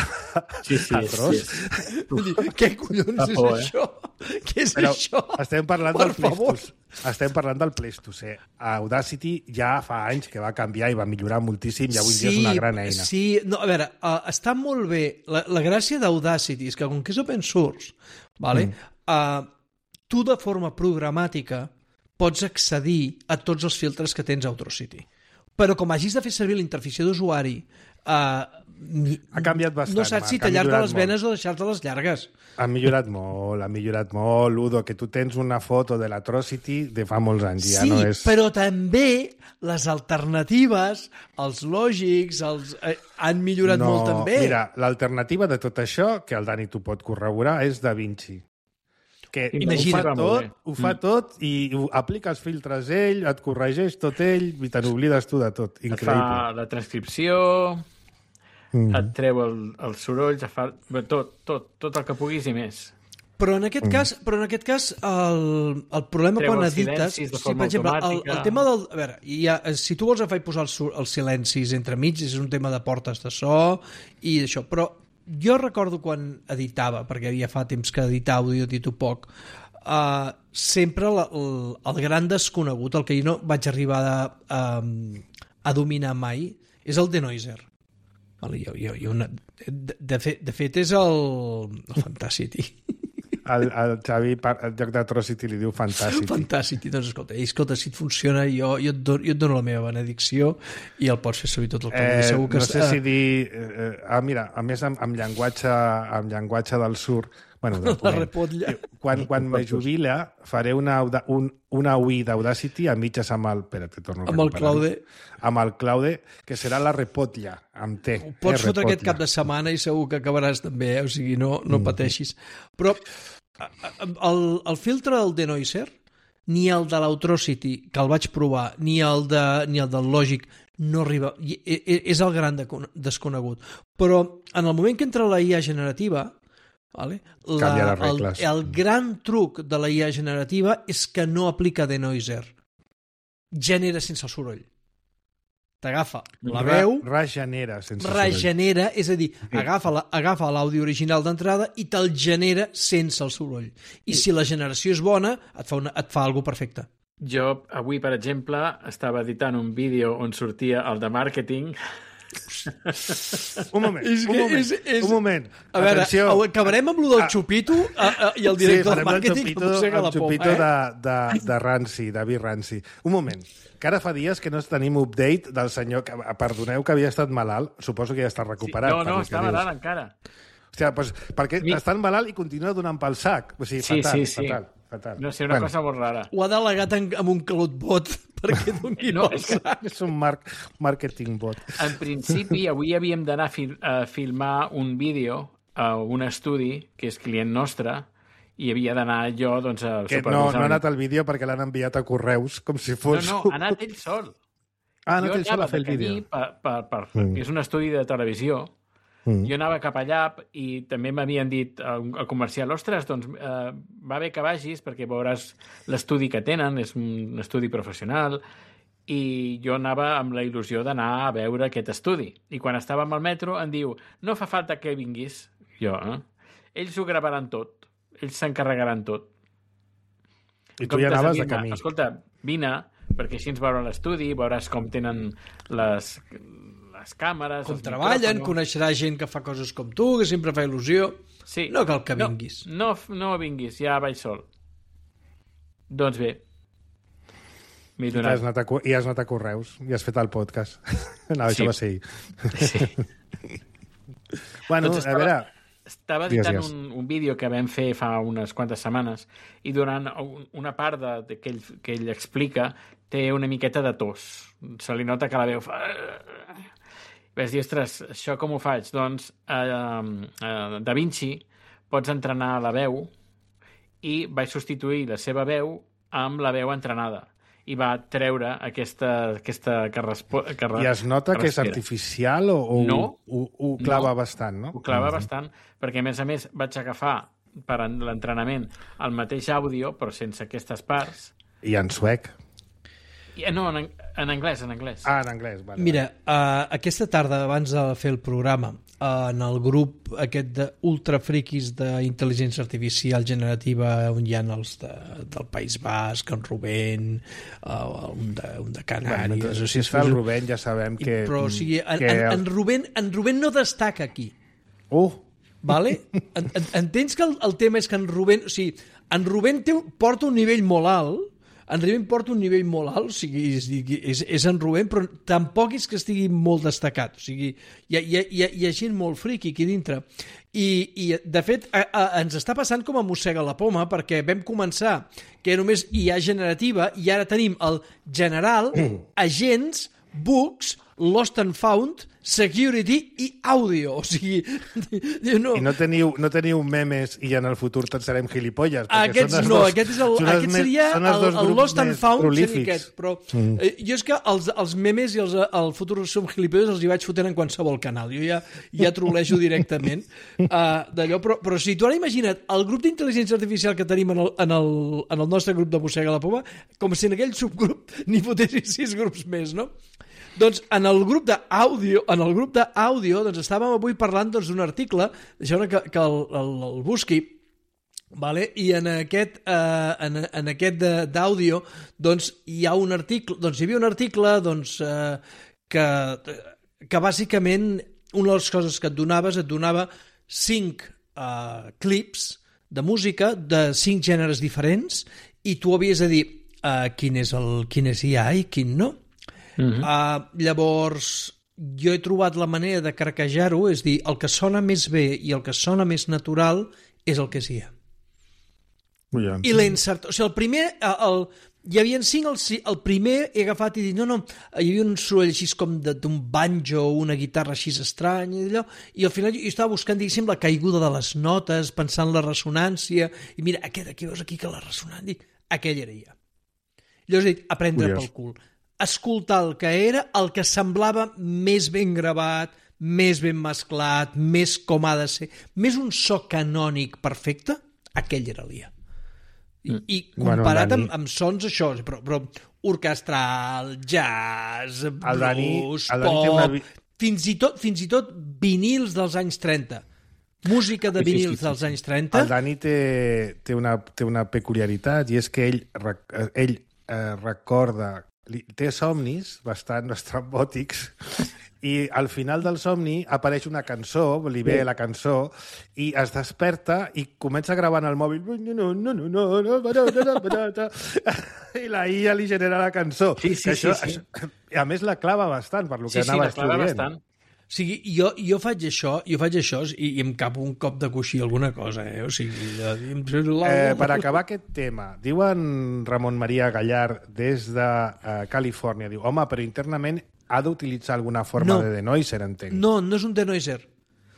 sí, sí, atroç. Sí. Què collons és por, eh? això? Què és Però això? estem parlant Per del Pleistocè. Estem parlant del Pleistocè. Audacity ja fa anys que va canviar i va millorar moltíssim i avui sí, dia és una gran eina. Sí, no, a veure, uh, està molt bé. La, la gràcia d'Audacity és que com que és open source, vale? Mm. Uh, tu de forma programàtica pots accedir a tots els filtres que tens a Audacity. Però com hagis de fer servir la interfície d'usuari, eh, ha canviat bastant. No saps si tallar-te les venes o deixar-te les llargues. Ha millorat molt, ha millorat molt, Udo, que tu tens una foto de l'Atrocity de fa molts anys. Ja sí, no és... però també les alternatives, els lògics, els, eh, han millorat no, molt també. Mira, l'alternativa de tot això, que el Dani t'ho pot corroborar, és DaVinci. Que Imagina, ho fa tot, ho fa tot i ho aplica els filtres ell, et corregeix tot ell i te n'oblides tu de tot. Increïble. Et fa la transcripció, mm. et treu el, els sorolls, et fa tot, tot, tot el que puguis i més. Però en aquest mm. cas, però en aquest cas el, el problema treu quan els edites... silencis de sí, forma per exemple, el, automàtica. el tema del... A veure, ha, si tu vols afai posar els, els silencis entre mig, és un tema de portes de so i d'això, però jo recordo quan editava, perquè ja fa temps que editava audio, edito poc, uh, sempre la, el, el gran desconegut, el que jo no vaig arribar a, a, a dominar mai, és el denoiser. Vale, jo, jo, jo una, de, de, fet, de fet és el, el Fantacity. El, el Xavi, en lloc d'Atrocity, li diu Fantacity. Fantàcity, doncs escolta, escolta, si et funciona, jo, jo, et dono, jo et dono la meva benedicció i el pots fer servir tot el que eh, segur que no sé està... si dir... Eh, ah, mira, a més, amb, amb, llenguatge, amb llenguatge del sur... Bueno, del la repotlla. Quan, quan me jubila, faré una, un, una U I d'Audacity a mitges amb el... Espera, te torno a amb el Claude. Amb el Claude, que serà la repotlla, amb T. Ho pots fotre aquest cap de setmana i segur que acabaràs també, eh? O sigui, no, no mm. pateixis. Però el, el filtre del denoiser, ni el de l'Atrocity, que el vaig provar, ni el, de, ni el del Logic, no arriba. És el gran desconegut. Però en el moment que entra la I A generativa, vale, la, el, el gran truc de la I A generativa és que no aplica denoiser. Genera sense el soroll. T'agafa la veu... Regenera sense regenera, és a dir, agafa, la, agafa l'àudio original d'entrada i te'l genera sense el soroll. I si la generació és bona, et fa, una, et fa alguna perfecte. Jo, avui, per exemple, estava editant un vídeo on sortia el de màrqueting. Un moment, és un moment, és, és... un moment. A veure, atenció. Acabarem amb lo del xupito a, a, i el director sí, del màrqueting el que mossega la poma. El xupito eh? de, de, de Ranci, de Vi Ranci. Un moment, que ara fa dies que no tenim update del senyor, que, perdoneu que havia estat malalt, suposo que ja està recuperat. Sí, no, no, està malalt encara. Hòstia, doncs, perquè Mi... està malalt i continua donant pel sac. O sigui, sí, fatal, sí, sí. fatal. Fatal. No sé, una bueno. cosa molt rara. Ho ha delegat en, amb un calot bot perquè doni no, és, que... és un mar marketing bot. En principi, avui havíem d'anar a, fil a filmar un vídeo a un estudi que és client nostre i havia d'anar jo doncs, a que no, no ha anat al vídeo perquè l'han enviat a correus com si fos... No, no, ha anat ell sol. Ah, ha anat ell sol a fer el vídeo. Per, per, per, mm. És un estudi de televisió. Mm. Jo anava cap allà i també m'havien dit al comercial, ostres, doncs eh, va bé que vagis perquè veuràs l'estudi que tenen, és un estudi professional, i jo anava amb la il·lusió d'anar a veure aquest estudi. I quan estàvem al metro em diu, no fa falta que vinguis. Jo, eh? Ells ho gravaran tot. Ells s'encarregaran tot. I tu ja anaves de camí. Escolta, vine, perquè així ens veurà l'estudi, veuràs com tenen les... les càmeres... Com treballen, coneixerà gent que fa coses com tu, que sempre fa il·lusió. Sí. No cal que vinguis. No, no, no vinguis, ja vaig sol. Doncs bé. I has, anat a, I has anat a correus, i has fet el podcast. No, sí. Això va ser ahir. Sí. Bueno, doncs estava, a veure... Estava editant un, un vídeo que vam fer fa unes quantes setmanes i durant una part de, de que, ell, que ell explica té una miqueta de tos. Se li nota que la veu fa... Vas dir, ostres, això com ho faig? Doncs a eh, eh, DaVinci pots entrenar la veu i vaig substituir la seva veu amb la veu entrenada i va treure aquesta, aquesta que, respo, que I es nota que, que és artificial o, o no, ho, ho clava no, bastant, no? Ho clava mm-hmm. bastant, perquè a més a més vaig agafar per l'entrenament el mateix àudio, però sense aquestes parts. I en suec? I, no, en, en anglès, en anglès. Ah, en anglès, vale. Mira, uh, aquesta tarda, abans de fer el programa, uh, en el grup aquest d'ultrafriquis d'intel·ligència artificial generativa, on hi ha els de, del País Basc, en Rubén, uh, un, de, un de Canàries... Bueno, si es fa el Rubén ja sabem que... Però, o sigui, en, que... en, en, Rubén, en Rubén no destaca aquí. Uh! Vale? En, en, entens que el, el tema és que en Rubén... O sigui, en Rubén té, porta un nivell molt alt, en Rubén porta un nivell molt alt, o sigui, és, és, és en Rubén, però tampoc és que estigui molt destacat, o sigui, hi ha, hi ha, hi ha, hi ha gent molt friqui aquí dintre. I, i de fet, a, a, ens està passant com a mossega la poma, perquè vam començar que només hi ha generativa i ara tenim el general, agents, bugs, lost and found, security i àudio. O sigui, no. I no teniu, no teniu memes i en el futur tots serem gilipolles. Aquests no, dos, aquest, és el, aquest seria el, el lost and found seria aquest, però mm. eh, jo és que els, els memes i els, el futur som gilipolles els hi vaig fotent en qualsevol canal. Jo ja, ja trolejo directament uh, d'allò, però, però si tu ara imagina't el grup d'intel·ligència artificial que tenim en el, en el, en el nostre grup de Mossega la Poma, com si en aquell subgrup n'hi fotessin sis grups més, no? Doncs en el grup d'àudio, en el grup d'àudio, doncs estàvem avui parlant doncs, d'un article, deixeu que, que el, el, el busqui, vale? I en aquest, eh, en, en aquest d'àudio doncs, hi ha un article, doncs hi havia un article doncs, eh, que, que bàsicament una de les coses que et donaves, et donava cinc eh, clips de música de cinc gèneres diferents i tu havies de dir eh, quin és el quin és hi ha i quin no. Uh-huh. Uh, llavors jo he trobat la manera de craquejar-ho, és dir, el que sona més bé i el que sona més natural és el que sí hi ha. Ja. I l'he insertat, o sigui, el primer el, el, hi havia cinc, el, el primer he agafat i dit, no, no, hi havia un soroll així com d'un banjo o una guitarra així estrany i allò, i al final jo estava buscant, diguéssim, la caiguda de les notes, pensant la ressonància, i mira, aquest aquí veus aquí que la ressonant, dic, aquell era ja. Llavors he dit, aprendre Curiós. Pel cul. Escoltar el que era, el que semblava més ben gravat, més ben mesclat, més com ha de ser, més un so canònic perfecte, aquell era l'I A. I, mm. i comparat bueno, amb, amb sons això, però, però orquestral, jazz, blues, Dani, pop, una... fins, i tot, fins i tot vinils dels anys trenta. Música de vinils sí, sí, sí. dels anys trenta. El Dani té, té, una, té una peculiaritat i és que ell, ell eh, recorda té somnis bastant estrambòtics i al final del somni apareix una cançó, li ve la cançó i es desperta i comença a gravar en el mòbil i la I A li genera la cançó. Sí, sí, això, sí, sí. Això, a més la clava bastant per lo que sí, anava sí, estudiant. Bastant. O sigui, jo, jo faig això, jo faig això i, i em capo un cop de coixí alguna cosa, eh? O sigui... Eh, per acabar aquest tema, diuen Ramon Maria Gallard des de uh, Califòrnia, diu, home, però internament ha d'utilitzar alguna forma no. de denoiser, entenc. No, no és un denoiser.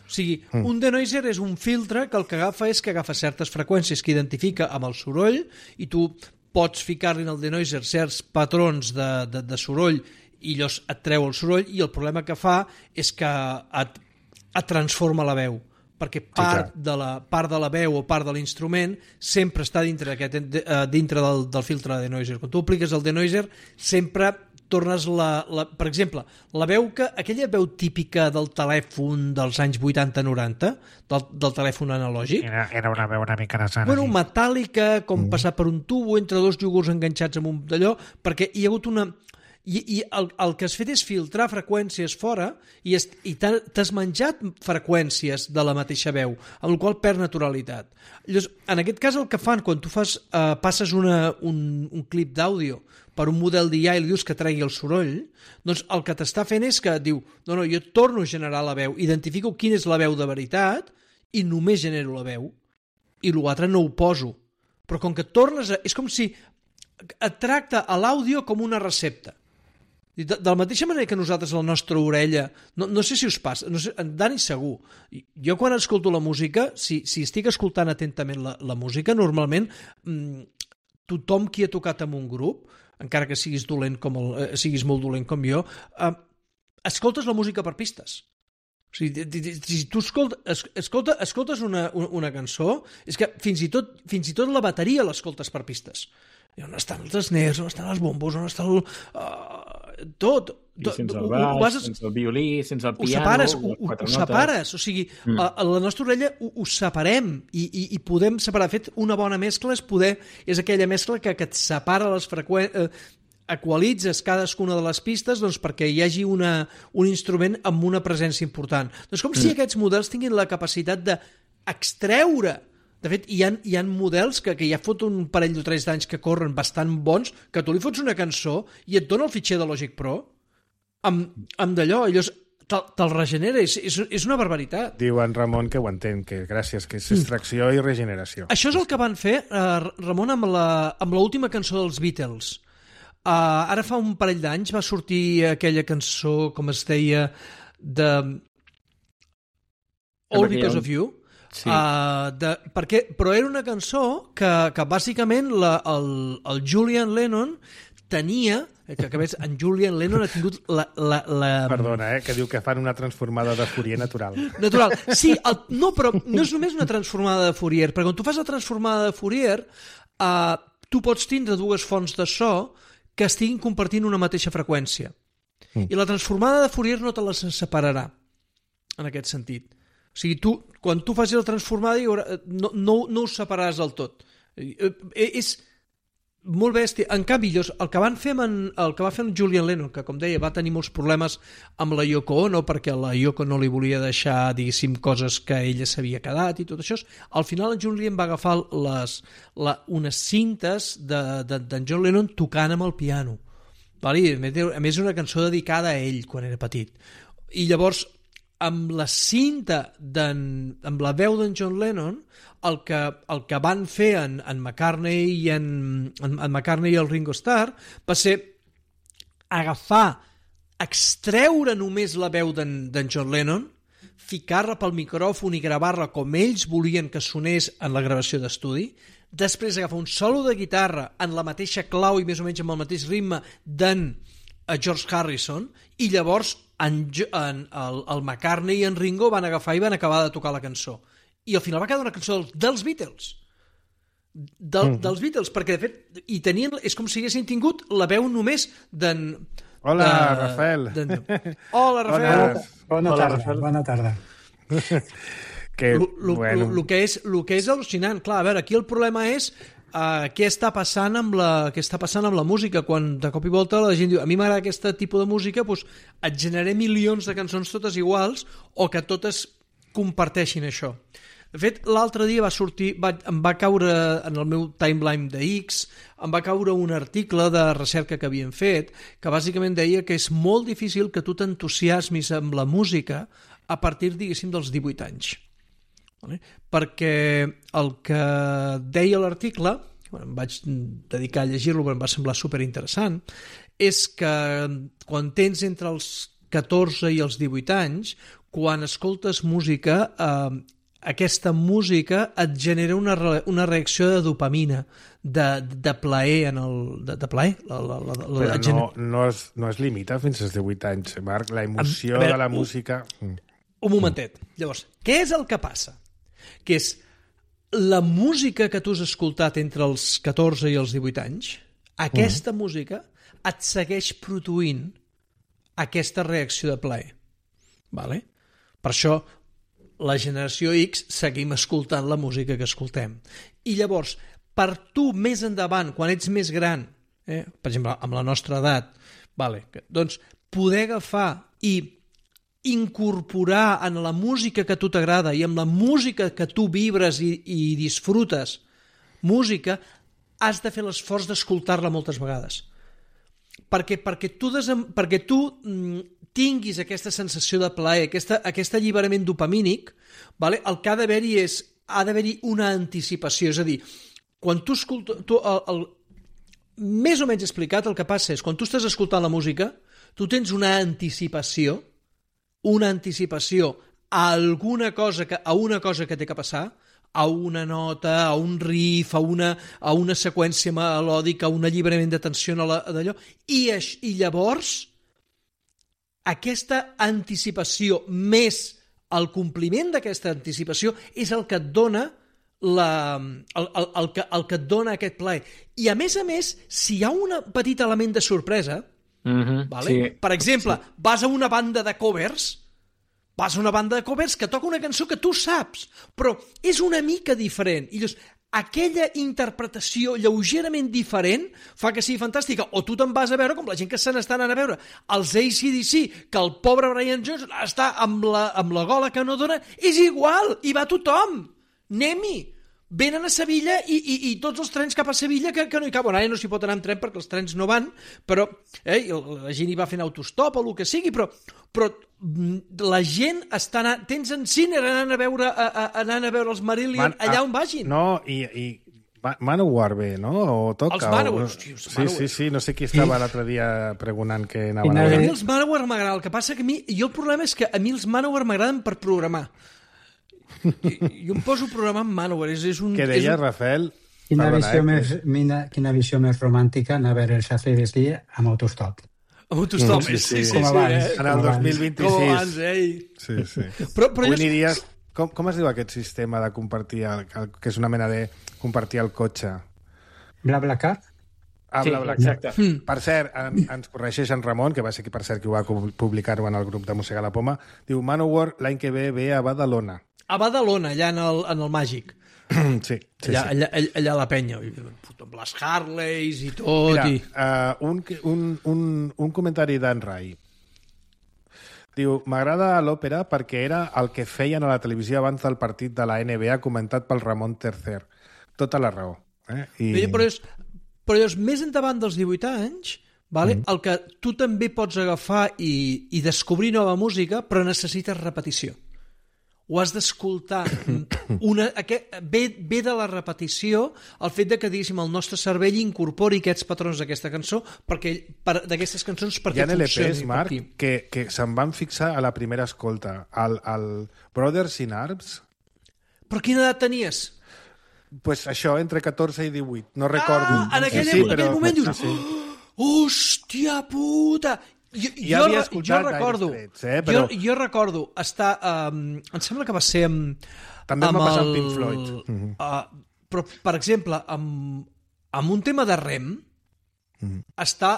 O sigui, mm. un denoiser és un filtre que el que agafa és que agafa certes freqüències que identifica amb el soroll i tu pots ficar-li en el denoiser certs patrons de, de, de soroll i llavors et treu el soroll i el problema que fa és que et, et transforma la veu perquè part, sí, de la, part de la veu o part de l'instrument sempre està dintre, aquest, dintre del, del filtre de denoiser. Quan tu apliques el denoiser sempre tornes la, la... Per exemple, la veu que... Aquella veu típica del telèfon dels anys vuitanta noranta, del, del telèfon analògic... Era, era una veu una mica nasana. Bueno, sí. Metàl·lica, com mm. passar per un tubo entre dos iogurts enganxats amb un d'allò, perquè hi ha hagut una... I, i el, el que has fet és filtrar freqüències fora i, es, i t'has menjat freqüències de la mateixa veu, amb la qual perd naturalitat. Llavors, en aquest cas el que fan quan tu fas, uh, passes una, un, un clip d'àudio per un model d'I A i li dius que tregui el soroll, doncs el que t'està fent és que diu, no, no, jo torno a generar la veu, identifico quina és la veu de veritat i només genero la veu i l'altre no ho poso. Però com que tornes a... És com si et tracta a l'àudio com una recepta. De, de la mateixa manera que nosaltres la nostra orella, no, no sé si us passa, no sé, en Dani segur, jo quan escolto la música, si, si estic escoltant atentament la, la música, normalment mmm, tothom qui ha tocat en un grup, encara que siguis dolent com el, eh, siguis molt dolent com jo, eh, escoltes la música per pistes. O sigui, si tu escolta, escolta, escoltes una, una cançó, és que fins i tot, fins i tot la bateria l'escoltes per pistes. I on estan els snares, on estan els bombos, on està el... Uh, tot. I sense el baix, vas, sense el violí, sense el piano... Ho separes, ho, ho separes. O sigui, mm. a, a la nostra orella ho, ho separem i, i, i podem separar. De fet, una bona mescla és poder... És aquella mescla que, que et separa les freqüències... Eh, equalitzes cadascuna de les pistes doncs, perquè hi hagi una, un instrument amb una presència important. Doncs com mm. si aquests models tinguin la capacitat d'extreure De fet, hi ha, hi ha models que, que ja fot un parell o tres d'anys que corren bastant bons, que tu li fots una cançó i et dona el fitxer de Logic Pro amb, amb d'allò, i llavors te'l te regenera, és, és, és una barbaritat. Diu en Ramon que ho entén, que gràcies, que és extracció i regeneració. Això és el que van fer, eh, Ramon, amb la, amb l'última cançó dels Beatles. Uh, ara fa un parell d'anys va sortir aquella cançó, com es deia, de All Because of You. Sí. Uh, de, perquè, però era una cançó que, que bàsicament la, el, el Julian Lennon tenia, que, que ves, en Julian Lennon ha tingut la... la, la... Perdona, eh, que diu que fan una transformada de Fourier natural. Natural. Sí, el, no, però no és només una transformada de Fourier, perquè quan tu fas la transformada de Fourier, uh, tu pots tindre dues fonts de so que estiguin compartint una mateixa freqüència. Mm. I la transformada de Fourier no te les separarà, en aquest sentit. O sigui, tu, quan tu facis la transformada, haurà, no, no, no us separaràs del tot. És molt bèstia. En canvi, el que, van fer en, el que va fer en Julian Lennon, que, com deia, va tenir molts problemes amb la Yoko Ono, perquè la Yoko no li volia deixar, diguéssim, coses que ella s'havia quedat i tot això, al final en Julian va agafar les, la, unes cintes d'en de, de, John Lennon tocant amb el piano. Vale? A més, una cançó dedicada a ell quan era petit. I llavors, amb la cinta, amb la veu d'en John Lennon, el que, el que van fer en, en McCartney i en, en, en McCartney i el Ringo Starr va ser agafar, extreure només la veu d'en John Lennon, ficar-la pel micròfon i gravar-la com ells volien que sonés en la gravació d'estudi, després agafar un solo de guitarra en la mateixa clau i més o menys amb el mateix ritme d'en George Harrison, i llavors en, en, el, el McCartney i en Ringo van agafar i van acabar de tocar la cançó. I al final va quedar una cançó dels, dels Beatles. Del, mm. Dels Beatles, perquè de fet i tenien, és com si haguessin tingut la veu només d'en... Hola, de, Rafael. Hola, Rafael. Bona, bona tarda, Rafael. Bona tarda. que, lo, lo, bueno. lo, lo, que és, lo que és al·lucinant. Clar, a veure, aquí el problema és Uh, què està passant amb la què està passant amb la música, quan de cop i volta la gent diu, a mi m'agrada aquest tipus de música, doncs et generaré milions de cançons totes iguals o que totes comparteixin això. De fet, l'altre dia va sortir, va, em va caure en el meu timeline de X, em va caure un article de recerca que havien fet, que bàsicament deia que és molt difícil que tu t'entusiasmis amb la música a partir, diguéssim, dels divuit anys. Vale? Perquè el que deia l'article, bueno, em vaig dedicar a llegir-lo perquè em va semblar superinteressant, és que quan tens entre els catorze i els divuit anys, quan escoltes música, eh, aquesta música et genera una, una reacció de dopamina, de, de plaer en el... de, de plaer? La, la, la, la, Però no, no, es, no es limita fins als divuit anys, Marc, la emoció a veure, de la música... Un, un momentet. Llavors, què és el que passa? Que és la música que tu has escoltat entre els catorze i els divuit anys, aquesta mm. música et segueix produint aquesta reacció de plaer. Vale? Per això la generació X seguim escoltant la música que escoltem. I llavors, per tu més endavant, quan ets més gran, eh, per exemple, amb la nostra edat, vale, doncs poder agafar i incorporar en la música que a tu t'agrada i amb la música que tu vibres i, i disfrutes música, has de fer l'esforç d'escoltar-la moltes vegades. Perquè, perquè tu, desem, perquè tu mm, tinguis aquesta sensació de plaer, aquesta, aquest alliberament dopamínic, vale? El que ha d'haver-hi és ha d'haver-hi una anticipació. És a dir, quan tu escoltes... Tu, el, el, més o menys explicat, el que passa és quan tu estàs escoltant la música, tu tens una anticipació una anticipació a alguna cosa que, a una cosa que té que passar, a una nota, a un riff, a una, a una seqüència melòdica, a un alliberament de tensió d'allò, i, i llavors aquesta anticipació més el compliment d'aquesta anticipació és el que et dona la, el, el, el, que, el que et dona aquest plaer. I a més a més, si hi ha un petit element de sorpresa, Mm-hmm, vale? sí. Per exemple, sí. vas a una banda de covers, vas a una banda de covers que toca una cançó que tu saps, però és una mica diferent. I llavors, aquella interpretació lleugerament diferent fa que sigui fantàstica. O tu te'n vas a veure, com la gent que se n'estan anant a veure, els A C D C, que el pobre Brian Jones està amb la, amb la gola que no dona, és igual, i va tothom. Anem-hi. venen a Sevilla i, i, i tots els trens cap a Sevilla que, que no hi caben. Ara no s'hi pot anar amb tren perquè els trens no van, però eh, la gent hi va fent autostop o el que sigui, però, però la gent està anant... Tens en Sinner anant a veure, a, a, anant a veure els Marillion Man, allà on vagin. No, i... i... Manowar bé, no? O toca, els Manowar, o... hòstia, els sí, Manowar. Sí, sí, no sé qui estava sí. l'altre dia pregonant que anaven a veure. A mi els Manowar m'agraden, el que passa que a mi... Jo el problema és que a mi els Manowar m'agraden per programar. Jo em poso a programar amb Manowar. És, és un, Què deia, és un... Rafael? Quina Perdona, visió, eh, més, mina, quina visió més romàntica anar a veure els A C D C amb autostop. Amb autostop, sí, sí, sí, sí, com sí, abans, eh? En el dos mil vint-i-sis. Com abans, eh? Sí, sí. Però, però Avui jo... aniries... Com, com es diu aquest sistema de compartir, el, el, que és una mena de compartir el cotxe? BlaBlaCar? Ah, sí, bla, bla, exacte. Mm. Per cert, en, ens corregeix en Ramon, que va ser qui, per cert, qui ho va publicar-ho en el grup de Mossega la Poma, diu Manowar l'any que ve ve a Badalona. A Badalona, allà en el, en el Màgic. Sí, sí, allà, sí. Allà, allà, allà a la penya. Amb les Harleys i tot. Mira, i... uh, un, un, un, un comentari d'en Rai. Diu, m'agrada l'òpera perquè era el que feien a la televisió abans del partit de la N B A comentat pel Ramon Tercer. Tota la raó. Eh? I... Però, és, però és més endavant dels divuit anys, vale? Mm. el que tu també pots agafar i, i descobrir nova música, però necessites repetició. Ho has d'escoltar. Una, aquest, ve, ve de la repetició el fet de que, diguéssim, el nostre cervell incorpori aquests patrons d'aquesta cançó, perquè per, d'aquestes cançons perquè hi ha L Ps, funcioni. Marc, que, que se'n van fixar a la primera escolta. El, el Brothers in Arms... Però quina edat tenies? Pues això, entre catorze i divuit. No recordo. Ah, en aquell, sí, en aquell però... moment dius... Sí, sí. Oh, hòstia puta! Jo, ja jo, havia jo escoltat recordo, Trets, eh? Però... jo, jo recordo estar... Um, em sembla que va ser amb... També em amb va passar el, amb Pink Floyd. Mm-hmm. Uh, però, per exemple, amb, amb un tema de Rem, mm-hmm. està,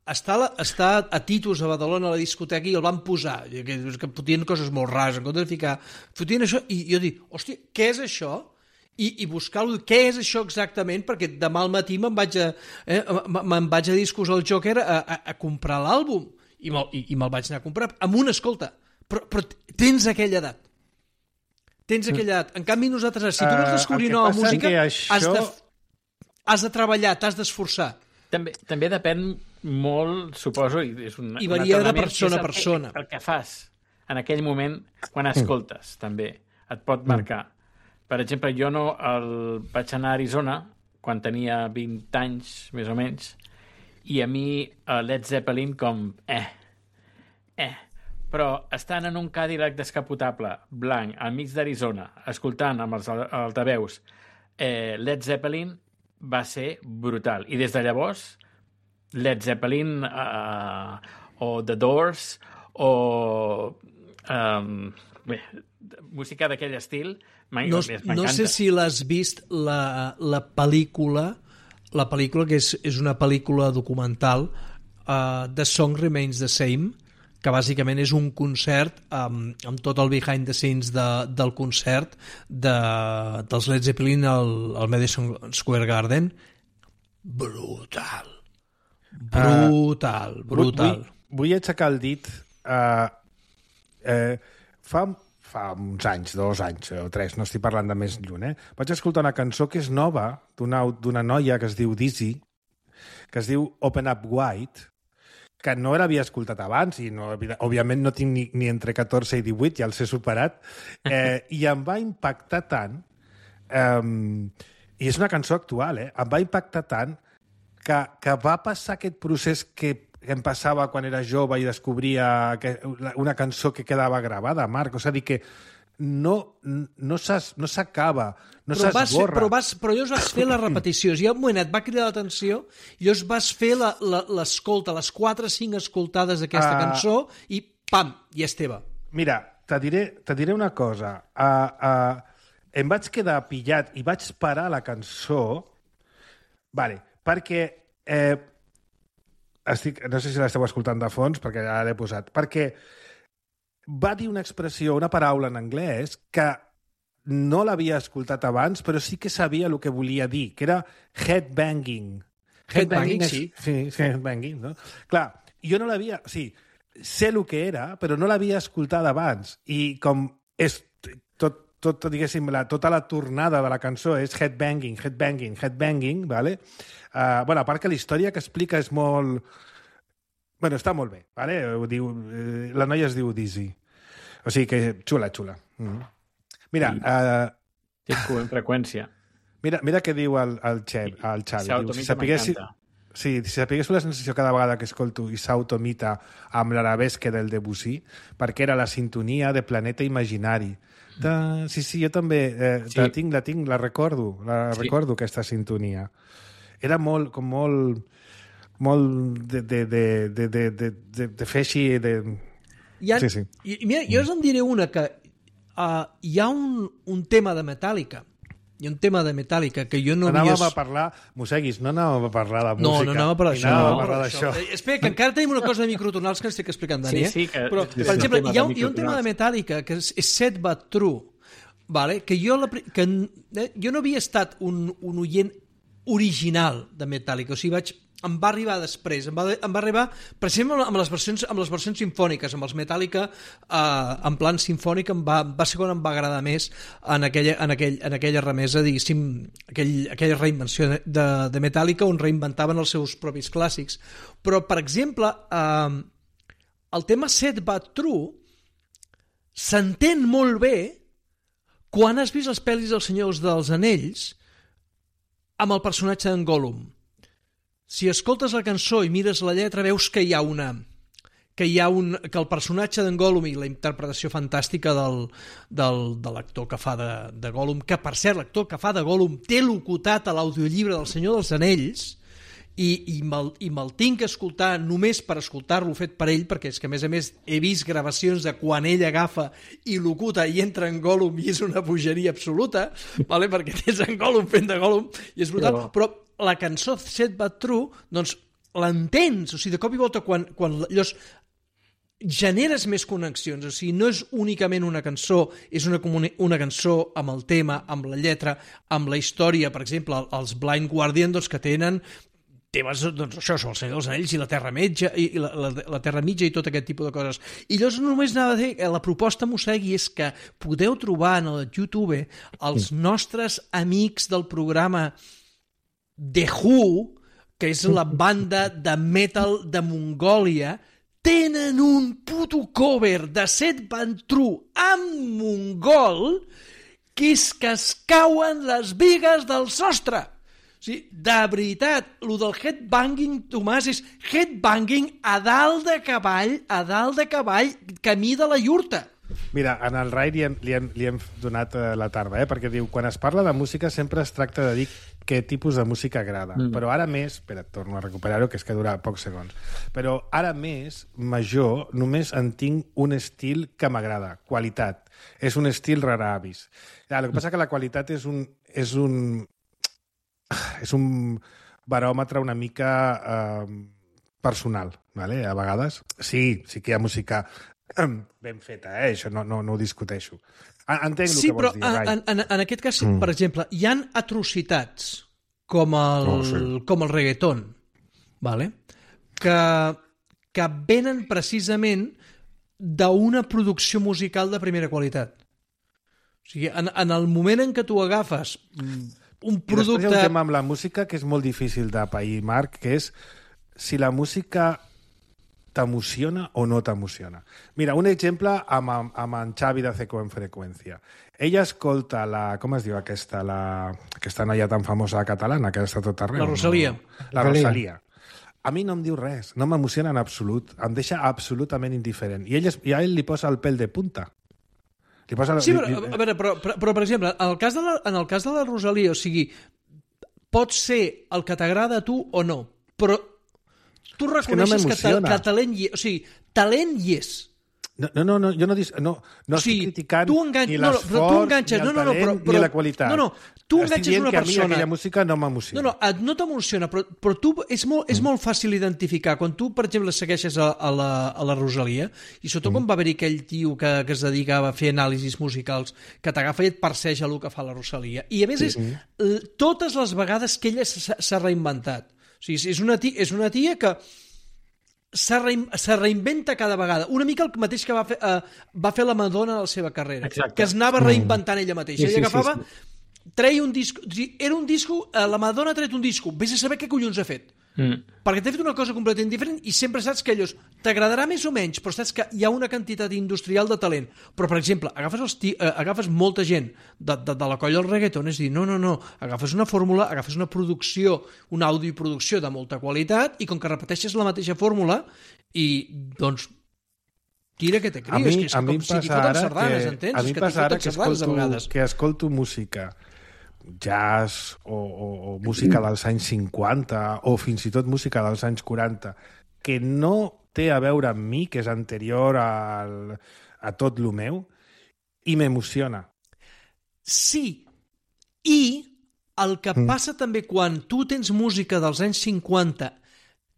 està, la, està a Titus, a Badalona, a la discoteca, i el van posar, que, que fotien coses molt rares, en compte de ficar... Fotien això, i jo dic, hòstia, què és això? I, i buscar-lo, què és això exactament, perquè demà al matí me'n vaig a, eh, me'n vaig a Discos al Joker a, a, a comprar l'àlbum, i me'l, i, i me'l vaig anar a comprar, amb una escolta, però, però tens aquella edat. Tens aquella edat. En canvi, nosaltres, si tu vols descobrir uh, nova música, això... has, de, has de treballar, t'has d'esforçar. També, també depèn molt, suposo, i és un, I varia de persona a persona. El, el que fas en aquell moment, quan escoltes, mm. també, et pot marcar. Mm. Per exemple, jo no el vaig anar a Arizona quan tenia vint anys, més o menys, i a mi uh, Led Zeppelin com eh, eh. Però estant en un Cadillac descapotable, blanc, al mig d'Arizona, escoltant amb els altaveus eh, Led Zeppelin, va ser brutal. I des de llavors, Led Zeppelin uh, o The Doors o um, bé, música d'aquell estil no, no sé si l'has vist la, la pel·lícula la pel·lícula que és, és una pel·lícula documental uh, The Song Remains the Same, que bàsicament és un concert amb, amb tot el behind the scenes de, del concert de, dels Led Zeppelin al, al Madison Square Garden. Brutal. Brutal, uh, brutal. Vull, vull aixecar el dit. Uh, uh, fa, fa uns anys, dos anys o tres, no estic parlant de més lluny, eh? Vaig escoltar una cançó que és nova, d'una d'una noia que es diu Dizzy, que es diu Open Up Wide, que no l'havia escoltat abans, i no, òbviament no tinc ni, ni entre catorze i divuit, ja els he superat, eh, i em va impactar tant, eh, i és una cançó actual, eh, em va impactar tant que, que va passar aquest procés que em passava quan era jove i descobria que, una cançó que quedava gravada, Marc, o sigui que no, no s'acaba, no s'esborra. Però, vas, però llavors vas fer la repetició. Hi ha un moment, et va cridar l'atenció, i llavors vas fer l'escolta, les quatre o cinc escoltades d'aquesta uh, cançó, i pam, i és teva. Mira, te diré, te diré una cosa. Uh, uh, em vaig quedar pillat i vaig parar la cançó, vale, perquè... Eh, estic, no sé si l'esteu escoltant de fons, perquè ja l'he posat, perquè va dir una expressió, una paraula en anglès que no l'havia escoltat abans, però sí que sabia el que volia dir, que era headbanging. Headbanging, sí. Sí, headbanging, no? Clar, jo no l'havia... O sigui, sé el que era, però no l'havia escoltat abans. I com és tot, tot, diguéssim, la, tota la tornada de la cançó és headbanging, headbanging, headbanging, vale? Uh, bueno, a part que la història que explica és molt... Bueno, està molt bé, vale? Ho diu, eh, la noia es diu Dizzy. O sigui que xula, xula. Mm-hmm. Mira... Uh, Té freqüència. Mira, mira què diu el, el, Xavi, el Xavi. Diu, si sapiguessi... Sí, si sapigués la sensació cada vegada que escolto Isao Tomita amb l'arabesque del Debussy, perquè era la sintonia de Planeta Imaginari. De... Sí, sí, jo també eh, sí. la tinc, la tinc, la recordo, la sí. recordo aquesta sintonia. Era molt, com molt, molt de, de, de, de, de, de, de, de fer així... De... Ha, sí, sí. I, mira, jo us en diré una, que uh, hi ha un, un tema de Metallica, hi ha un tema de Metallica que jo no havia... Anàvem a parlar, Mosseguis, no anàvem a parlar de música. No, no anàvem a parlar d'això. No, a parlar d'això. Espera, que encara tenim una cosa de microtonals que ens estic explicant, Dani. Sí, sí, que... Però, per exemple, hi ha, hi ha un tema de Metallica que és, és Sad But True, vale? Que, jo la, que eh, jo no havia estat un, un oient original de Metallica, o sigui, vaig... em va arribar després, em va, em va arribar per exemple amb les versions, amb les versions simfòniques, amb els Metallica eh, en plan simfònic em va, va ser quan em va agradar més en aquella, en aquell, en aquella remesa, diguéssim, aquell, aquella reinvenció de, de Metallica on reinventaven els seus propis clàssics. Però, per exemple, eh, el tema Sad But True s'entén molt bé quan has vist les pel·lis dels Senyors dels Anells amb el personatge d'en Gollum. Si escoltes la cançó i mires la lletra, veus que hi ha una... que hi ha un... que el personatge d'en Gollum i la interpretació fantàstica del, del, de l'actor que fa de, de Gollum, que per cert, l'actor que fa de Gollum té locutat a l'audiollibre del Senyor dels Anells i, i me'l i me tinc que escoltar només per escoltar-lo fet per ell, perquè és que a més a més he vist gravacions de quan ell agafa i locuta i entra en Gollum i és una bogeria absoluta, vale? Perquè tens en Gollum fent de Gollum i és brutal, però, però la cançó Sad But True, doncs l'entens, o sigui, de cop i volta quan, quan llavors generes més connexions, o sigui, no és únicament una cançó, és una, una cançó amb el tema, amb la lletra, amb la història, per exemple, els Blind Guardian, doncs, que tenen temes, doncs això, són el Senyor dels Anells i la Terra Mitja i la, la, la Terra Mitja i tot aquest tipus de coses. I llavors només anava a dir, la proposta Mossegui és que podeu trobar en el YouTube els nostres amics del programa The Who, que és la banda de metal de Mongòlia, tenen un puto cover de Sad But True en mongol que és que es cauen les bigues del sostre. O sigui, de veritat, el del headbanging, Tomàs, és headbanging a dalt de cavall, a dalt de cavall, camí de la iurta. Mira, en el Rai li hem, li hem, li hem donat eh, la tarda, eh? Perquè diu, quan es parla de música sempre es tracta de dir què tipus de música agrada. Mm. Però ara més, espera, torno a recuperar-ho, que és que dura pocs segons, però ara més, major, només en tinc un estil que m'agrada, qualitat. És un estil rara avis. Ja, el que passa que la qualitat és un, és un, és un baròmetre una mica eh, personal, ¿vale? A vegades. Sí, sí que hi ha música ben feta, eh? Això no, no, no ho discuteixo. Entenc sí, el que vols dir, Rai. En, en, en aquest cas, mm. per exemple, hi han atrocitats com el, oh, sí. com el reggaeton, vale? que, que venen precisament d'una producció musical de primera qualitat. O sigui, en, en el moment en què tu agafes un producte... I després hi ha un tema amb la música que és molt difícil de pair, Marc, que és si la música t'emociona o no t'emociona. Mira, un exemple amb, amb en Xavi de Ceco en Freqüència. Ella escolta la... Com es diu aquesta? La, aquesta noia tan famosa catalana que està tot arreu. La Rosalia. No? La Rosalia. A mi no em diu res, no m'emociona en absolut, em deixa absolutament indiferent. I, ell, I a ell li posa el pèl de punta. Li posa... Sí, però, a veure, però, però, però per exemple, en el cas de la, en el cas de la Rosalia, o sigui, pot ser el que t'agrada a tu o no, però tu reconeixes que, no que, que talent hi és. O sigui, talent hi és. No, no, no, jo no, no, no o sigui, estic criticant engan... ni no, no, l'esforç, ni el no, no, talent, no, però, però, ni la qualitat. No, no, tu enganxes una persona... Estic dient que a mi aquella música no m'emociona. No, no, no t'emociona, però, però tu és molt, és molt fàcil identificar. Quan tu, per exemple, segueixes a, a, la, a la Rosalia, i sobretot mm. quan va haver-hi aquell tio que, que es dedicava a fer anàlisis musicals, que t'agafa i et perseja el que fa la Rosalia. I a més és mm. totes les vegades que ella s'ha reinventat. O sigui, és una tia, és una tia que se, rein, se reinventa cada vegada. Una mica el mateix que va fer, uh, va fer la Madonna a la seva carrera. Exacte. Que es anava reinventant ella mateixa. Sí, sí, I agafava, sí, sí. treia un disco... Era un disco... Uh, la Madonna ha tret un disco. Vés a saber què collons ha fet. Mm. Perquè t'ha fet una cosa completament diferent i sempre saps que allò t'agradarà més o menys, però saps que hi ha una quantitat industrial de talent. Però, per exemple, agafes, els ti, eh, agafes molta gent de, de, de la colla del reggaeton, és dir, no, no, no, agafes una fórmula, agafes una producció, una àudio i producció de molta qualitat i com que repeteixes la mateixa fórmula i, doncs, tira que te A crios, mi, que és a mi com em si t'hi passa foten ara sardanes, que, entens? a mi És em que t'hi passa ara foten que sardanes a escolto, vegades. que escolto música jazz o, o, o música dels anys cinquanta o fins i tot música dels anys quaranta que no té a veure amb mi, que és anterior al, a tot lo meu, i m'emociona. Sí, i el que mm. passa també quan tu tens música dels anys cinquanta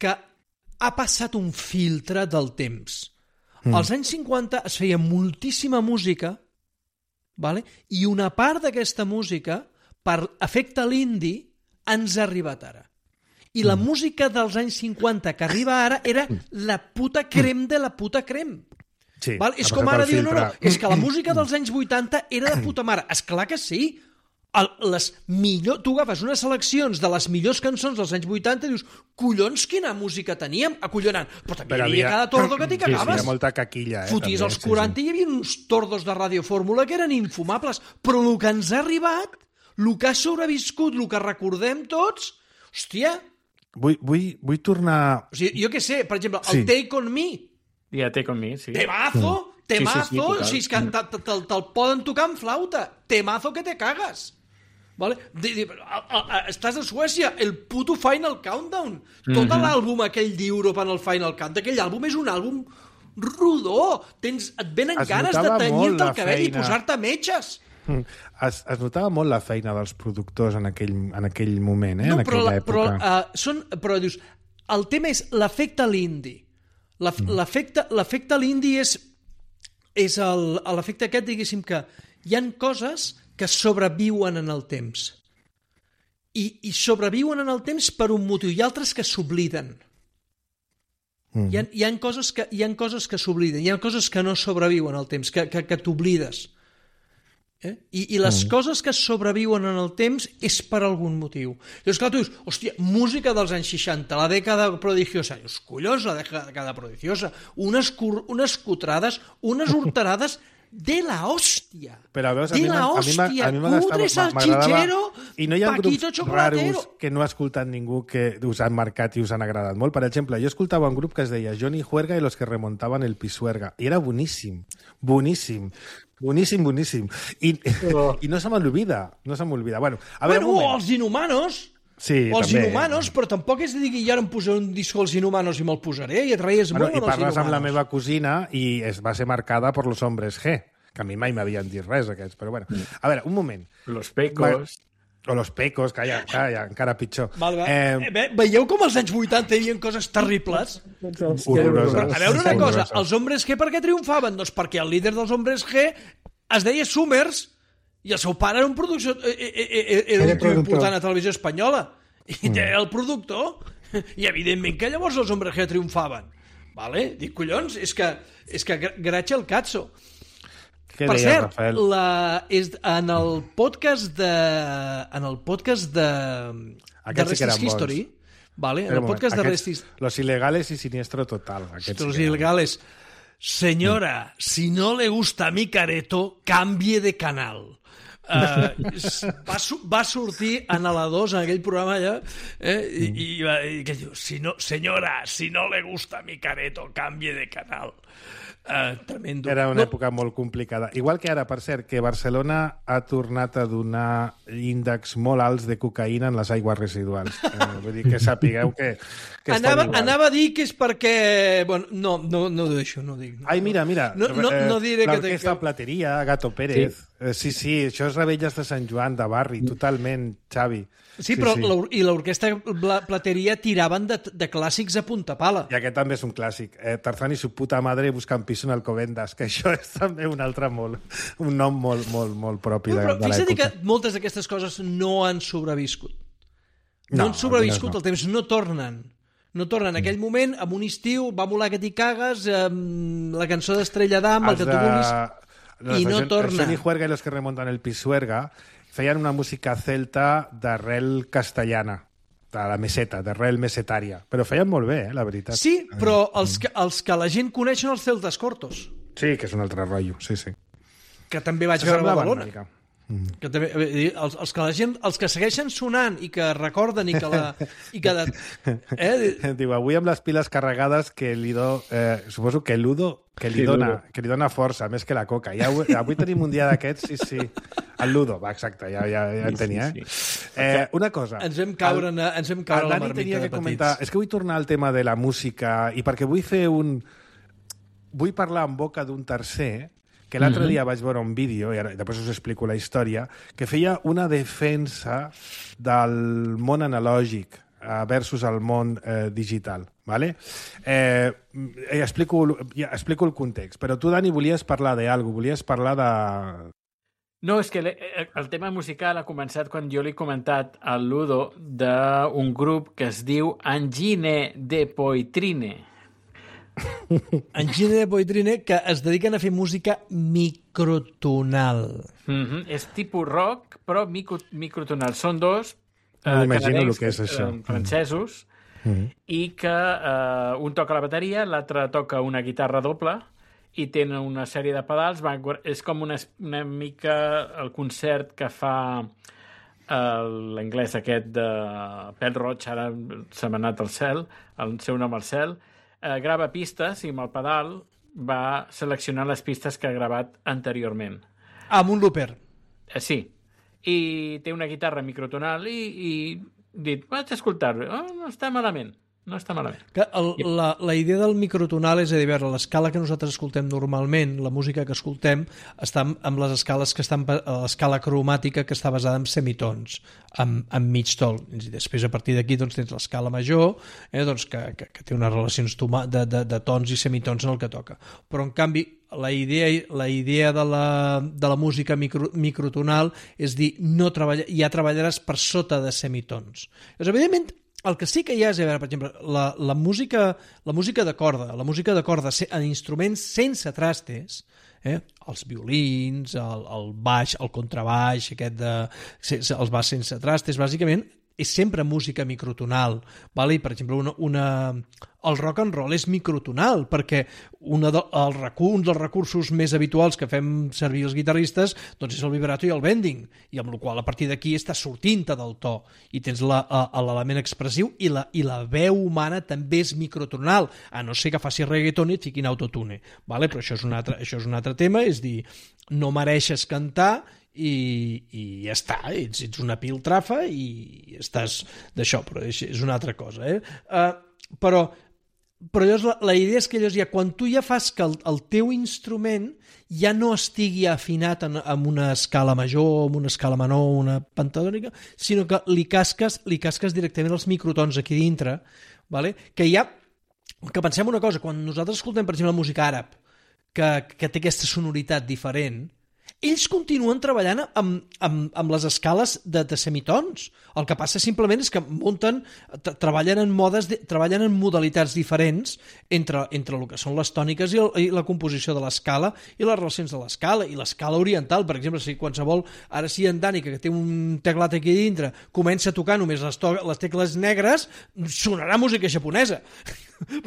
que ha passat un filtre del temps. Mm. Als anys cinquanta es feia moltíssima música, vale? I una part d'aquesta música, per efecte l'indi, ens ha arribat ara. I la mm. música dels anys cinquanta que arriba ara era la puta crem de la puta crem. Sí, val? És com ara dir, no, no, és que la música dels anys vuitanta era de puta mare. Esclar que sí. El, les millor, tu agafes unes seleccions de les millors cançons dels anys vuitanta i dius, collons, quina música teníem, acollonant. Però també Però hi havia havia... cada tordo que t'hi Sí, sí, cagaves. hi ha molta caquilla. Eh, Foties també, als sí, quaranta sí. i hi havia uns tordos de radiofórmula que eren infumables. Però el que ens ha arribat, el que ha sobreviscut, el que recordem tots, hòstia... Vull, vull, vull tornar... O sigui, jo què sé, per exemple, Sí. el Take On Me, Ja té com mi, sí. temazo, temazo, Sí, sí, sí, total. o sigui, és que te- te- te'l te'l poden tocar amb flauta, temazo que te cagas. Vale? De, de, a, a, a, estàs a Suècia, el puto Final Countdown. Tot mm -hmm. l'àlbum aquell d'Europe en el Final Countdown, aquell àlbum és un àlbum rodó. Tens, et venen Es ganes de notava molt tenyir-te la el cabell feina. i posar-te metges. Es, es notava molt la feina dels productors en aquell, en aquell moment, eh? No, en però, aquella la, però, època. uh, són, però dius, el tema és l'efecte l'indi. L'efecte l'efecte l'indi és, és el- l'efecte aquest, diguéssim, que hi han coses que sobreviuen en el temps. I, i sobreviuen en el temps per un motiu. Hi ha altres que s'obliden. Mm. Hi, ha, hi, ha coses que, hi ha coses que s'obliden. Hi ha coses que no sobreviuen al temps, que, que, que t'oblides. Eh? I, I les mm. coses que sobreviuen en el temps és per algun motiu. Llavors, clar, tu dius, hòstia, música dels anys seixanta, la dècada prodigiosa. Dius, collons, la dècada prodigiosa. Unes, cur, unes cutrades, unes horterades de la hòstia. Però veus, a de mi, la a mi, hòstia. a mi m'agradava- Cutre salchichero, i no hi ha Paquito grups chocolatero. raros que no ha escoltat ningú que us han marcat i us han agradat molt. Per exemple, jo escoltava un grup que es deia Johnny Juerga i los que remontaban el Pisuerga. I era boníssim, boníssim. Boníssim, boníssim. I, Oh. i no se m'olvida, no se m'olvida. Bueno, a veure, Bueno, un o moment. els Inhumanos. Sí, o els també. Inhumanos, però tampoc és de dir que jo ara em posaré un disco als Inhumanos i me'l posaré i et reies Bueno, molt I amb els parles amb la Inhumanos. meva cosina i es va ser marcada per los hombres G, que a mi mai m'havien dit res, aquests, però bueno. A veure, un moment. Los pecos... O los pecos, calla, calla, encara pitjor. Vale, vale. Eh, Eh, ve, veieu com als anys vuitanta hi havia coses terribles? horroroses. Però, a veure una cosa, Horroroses. els Hombres G per què triomfaven? Doncs perquè el líder dels Hombres G es deia Summers i el seu pare era un producció, eh, eh, eh, era un Era tio productor. important a Televisió Espanyola i era el productor i evidentment que llavors els Hombres G triomfaven. Vale? Dic, collons, és que, és que gra- gratxa el cazzo. Què Per deia, cert, Rafael? la, és, en el podcast de en el podcast de de Aquests sí que Rest eren is History, bons. vale? en Espera el un podcast moment, de aquests- Rest is Los ilegales y siniestro total. Aquests Los sí que eren. ilegales. Señora, si no le gusta mi careto, cambie de canal. Uh, va, su va sortir en la dos, en aquell programa allà, eh, i, i, va, i que diu, si no, senyora, si no le gusta mi careto, cambie de canal. Uh, tremendo. Era una No, època molt complicada. Igual que ara, per cert, que Barcelona ha tornat a donar índexs molt alts de cocaïna en les aigües residuals. Eh, vull dir que sapigueu que, que anava, estem igual. anava a dir que és perquè... Bueno, no, no, no ho deixo, no ho dic. No. Ai, mira, mira. No, no, no diré que... L'orquestra Plateria, Gato Pérez. Sí. Eh, sí, sí, això és Rebelles de Sant Joan, de barri, totalment, Xavi. Sí, però l'or- i l'orquestra Bla- Plateria tiraven de, de clàssics a punta pala. I aquest també és un clàssic. Eh, Tarzán i su puta madre buscan piso en Alcobendas, que això és també un altre molt, un nom molt, molt, molt propi No, de, però de fixa't l'època. que moltes d'aquestes coses no han sobreviscut. No, No, han sobreviscut algunes no. el temps, no tornen. No torna. En aquell moment, en un estiu, va molar que t'hi cagues, amb la cançó d'Estrella d'Am, el que tu vulguis, i no torna. Johnny Juerga i los que remontan el Pisuerga feien una música celta d'arrel castellana, de la meseta, d'arrel mesetària. Però feien molt bé, eh, la veritat. Sí, però els que, els que la gent coneix són els celtes cortos. Sí, que és un altre rotllo, sí, sí. Que també vaig veure a Badalona. Mm. Que també, els, els que la gent, els que segueixen sonant i que recorden i que la... I que de, eh? Diu, avui amb les piles carregades que li do... Eh, suposo que l'Udo que li, sí, dona, que li dona força, més que la coca. I avui, avui tenim un dia d'aquests, sí, sí. El Ludo, va, exacte, ja, ja, ja en tenia. Eh? Sí, sí. Eh, una cosa... Ens vam caure, el, ens vam caure la marmita de comentar, és que vull tornar al tema de la música i perquè vull fer un... Vull parlar en boca d'un tercer que l'altre mm-hmm. dia vaig veure un vídeo, i ara, després us explico la història, que feia una defensa del món analògic versus el món eh, digital. Vale? Eh, explico, ja, explico el context, però tu, Dani, volies parlar d'algú, volies parlar de... No, és que el tema musical ha començat quan jo li he comentat al Ludo d'un grup que es diu Engine de Poitrine. Engine de Poitrine, que es dediquen a fer música microtonal. Mm-hmm. És tipus rock, però micro, microtonal. Són dos eh, canadencs, que és això. Eh, francesos, mm-hmm. i que eh, un toca la bateria, l'altre toca una guitarra doble, i tenen una sèrie de pedals. Va, és com una, una mica el concert que fa l'anglès aquest de Pèl Roig, ara se m'ha anat al cel, el seu nom al cel. Eh, grava pistes i amb el pedal va seleccionar les pistes que ha gravat anteriorment. Ah, amb un looper. Eh, sí. I té una guitarra microtonal i, i dit, vaig escoltar-ho. Oh, no està malament. No està malament. Que el, la, la idea del microtonal és a dir, a veure, l'escala que nosaltres escoltem normalment, la música que escoltem, està amb les escales que estan, l'escala cromàtica que està basada en semitons, amb, amb mig tol. I després, a partir d'aquí, doncs, tens l'escala major, eh, doncs, que, que, que té unes relacions toma, de, de, de tons i semitons en el que toca. Però, en canvi, la idea, la idea de, la, de la música micro, microtonal és dir, no treballa, ja treballaràs per sota de semitons. Doncs, evidentment, el que sí que hi ha és, a veure, per exemple, la, la, música, la música de corda, la música de corda en instruments sense trastes, eh? Els violins, el, el baix, el contrabaix, aquest de, els baix sense trastes, bàsicament, és sempre música microtonal, vale? I, per exemple, una, una... el rock and roll és microtonal, perquè una de, el recurs, un dels recursos més habituals que fem servir els guitarristes doncs és el vibrato i el bending, i amb la qual a partir d'aquí està sortint-te del to, i tens l'element expressiu, i la, i la veu humana també és microtonal, a no ser que faci reggaeton i et fiquin autotune, vale? Però això és, un altre, això és un altre tema, és dir, no mereixes cantar, i, i ja està, ets, ets una piltrafa i estàs d'això, però és, és una altra cosa, eh? Uh, però però llavors la, la idea és que llavors ja, quan tu ja fas que el, el teu instrument ja no estigui afinat en, en una escala major, en una escala menor, una pentatònica, sinó que li casques, li casques directament els microtons aquí dintre, vale? Que ja, que pensem una cosa, quan nosaltres escoltem, per exemple, la música àrab, que, que té aquesta sonoritat diferent, ells continuen treballant amb, amb, amb les escales de, de semitons. El que passa simplement és que munten, treballen en modes, de, treballen en modalitats diferents entre, entre el que són les tòniques i, el, i la composició de l'escala i les relacions de l'escala. I l'escala oriental, per exemple, si qualsevol, ara sí en Dani, que té un teclat aquí dintre, comença a tocar només les, to les tecles negres, sonarà música japonesa.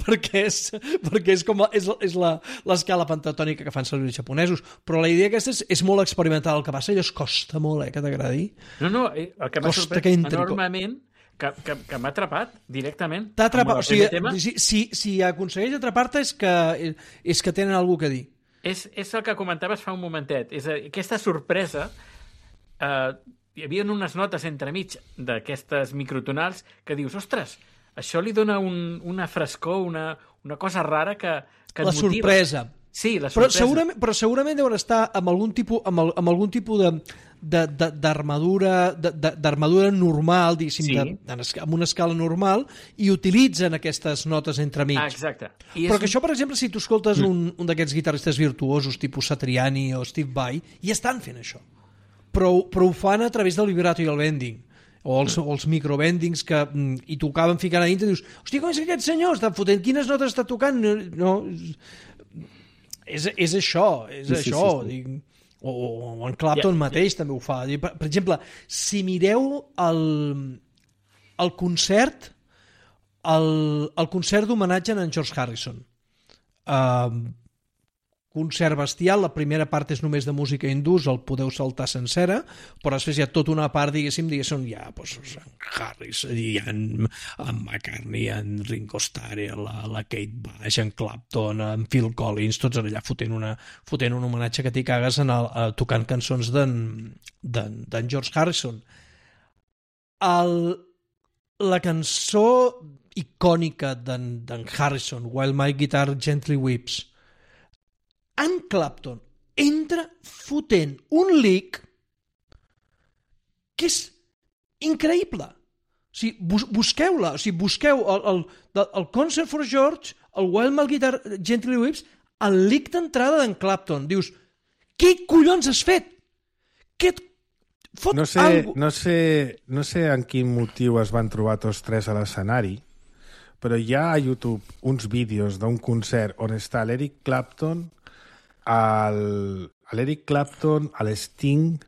perquè és, perquè és com és, és l'escala pentatònica que fan servir els japonesos, però la idea aquesta és, és molt experimental. El que passa, allò es costa molt, eh, que t'agradi. No, no, el que m'ha sorprès enormement, que, que, que m'ha atrapat directament. T'ha atrapat, o sigui, si, si, si aconsegueix atrapar-te és que, és que tenen alguna que dir. És, és el que comentaves fa un momentet, és aquesta sorpresa. Eh, hi havia unes notes entremig d'aquestes microtonals que dius, ostres, això li dona un, una frescor, una, una cosa rara que, que et la motiva. Sorpresa. Sí, la però sorpresa. Segurament, però segurament deuen estar amb algun tipus, amb, el, amb algun tipus de, de, de, d'armadura, de, de, d'armadura normal, diguéssim, sí. de, amb una escala normal, i utilitzen aquestes notes entremig. Ah, exacte. I però és... que això, per exemple, si tu escoltes mm. un, un d'aquests guitarristes virtuosos, tipus Satriani o Steve Vai, ja estan fent això. Però, però ho fan a través del vibrato i el bending. o els, o els microbendings que i tocaven ficant a dintre i dius, hòstia, com és que aquest senyor està fotent, quines notes està tocant? No, és, és això, és sí, això. Sí, sí, sí. O, o en Clapton yeah, mateix yeah. també ho fa. Per, per exemple, si mireu el, el concert el, el concert d'homenatge a en George Harrison, uh, concert bestial, la primera part és només de música hindús, el podeu saltar sencera, però després hi ha tota una part, diguéssim, diguéssim, hi ha pues, en Harris, hi ha en, en McCartney, en Ringo Starr, la, la Kate Bush, en Clapton, en Phil Collins, tots allà fotent, una, fotent un homenatge que t'hi cagues en el, a, tocant cançons d'en George Harrison. El, la cançó icònica d'en Harrison, While My Guitar Gently Weeps, en Clapton entra fotent un lick que és increïble. O sigui, bus busqueu-la, o sigui, busqueu el, el, el Concert for George, el While My Guitar Gently Weeps, el lick d'entrada d'en Clapton. Dius, què collons has fet? Què et fot no sé, algo? No sé, no sé en quin motiu es van trobar tots tres a l'escenari, però hi ha a YouTube uns vídeos d'un concert on està l'Eric Clapton, l'Eric Clapton, l'Sting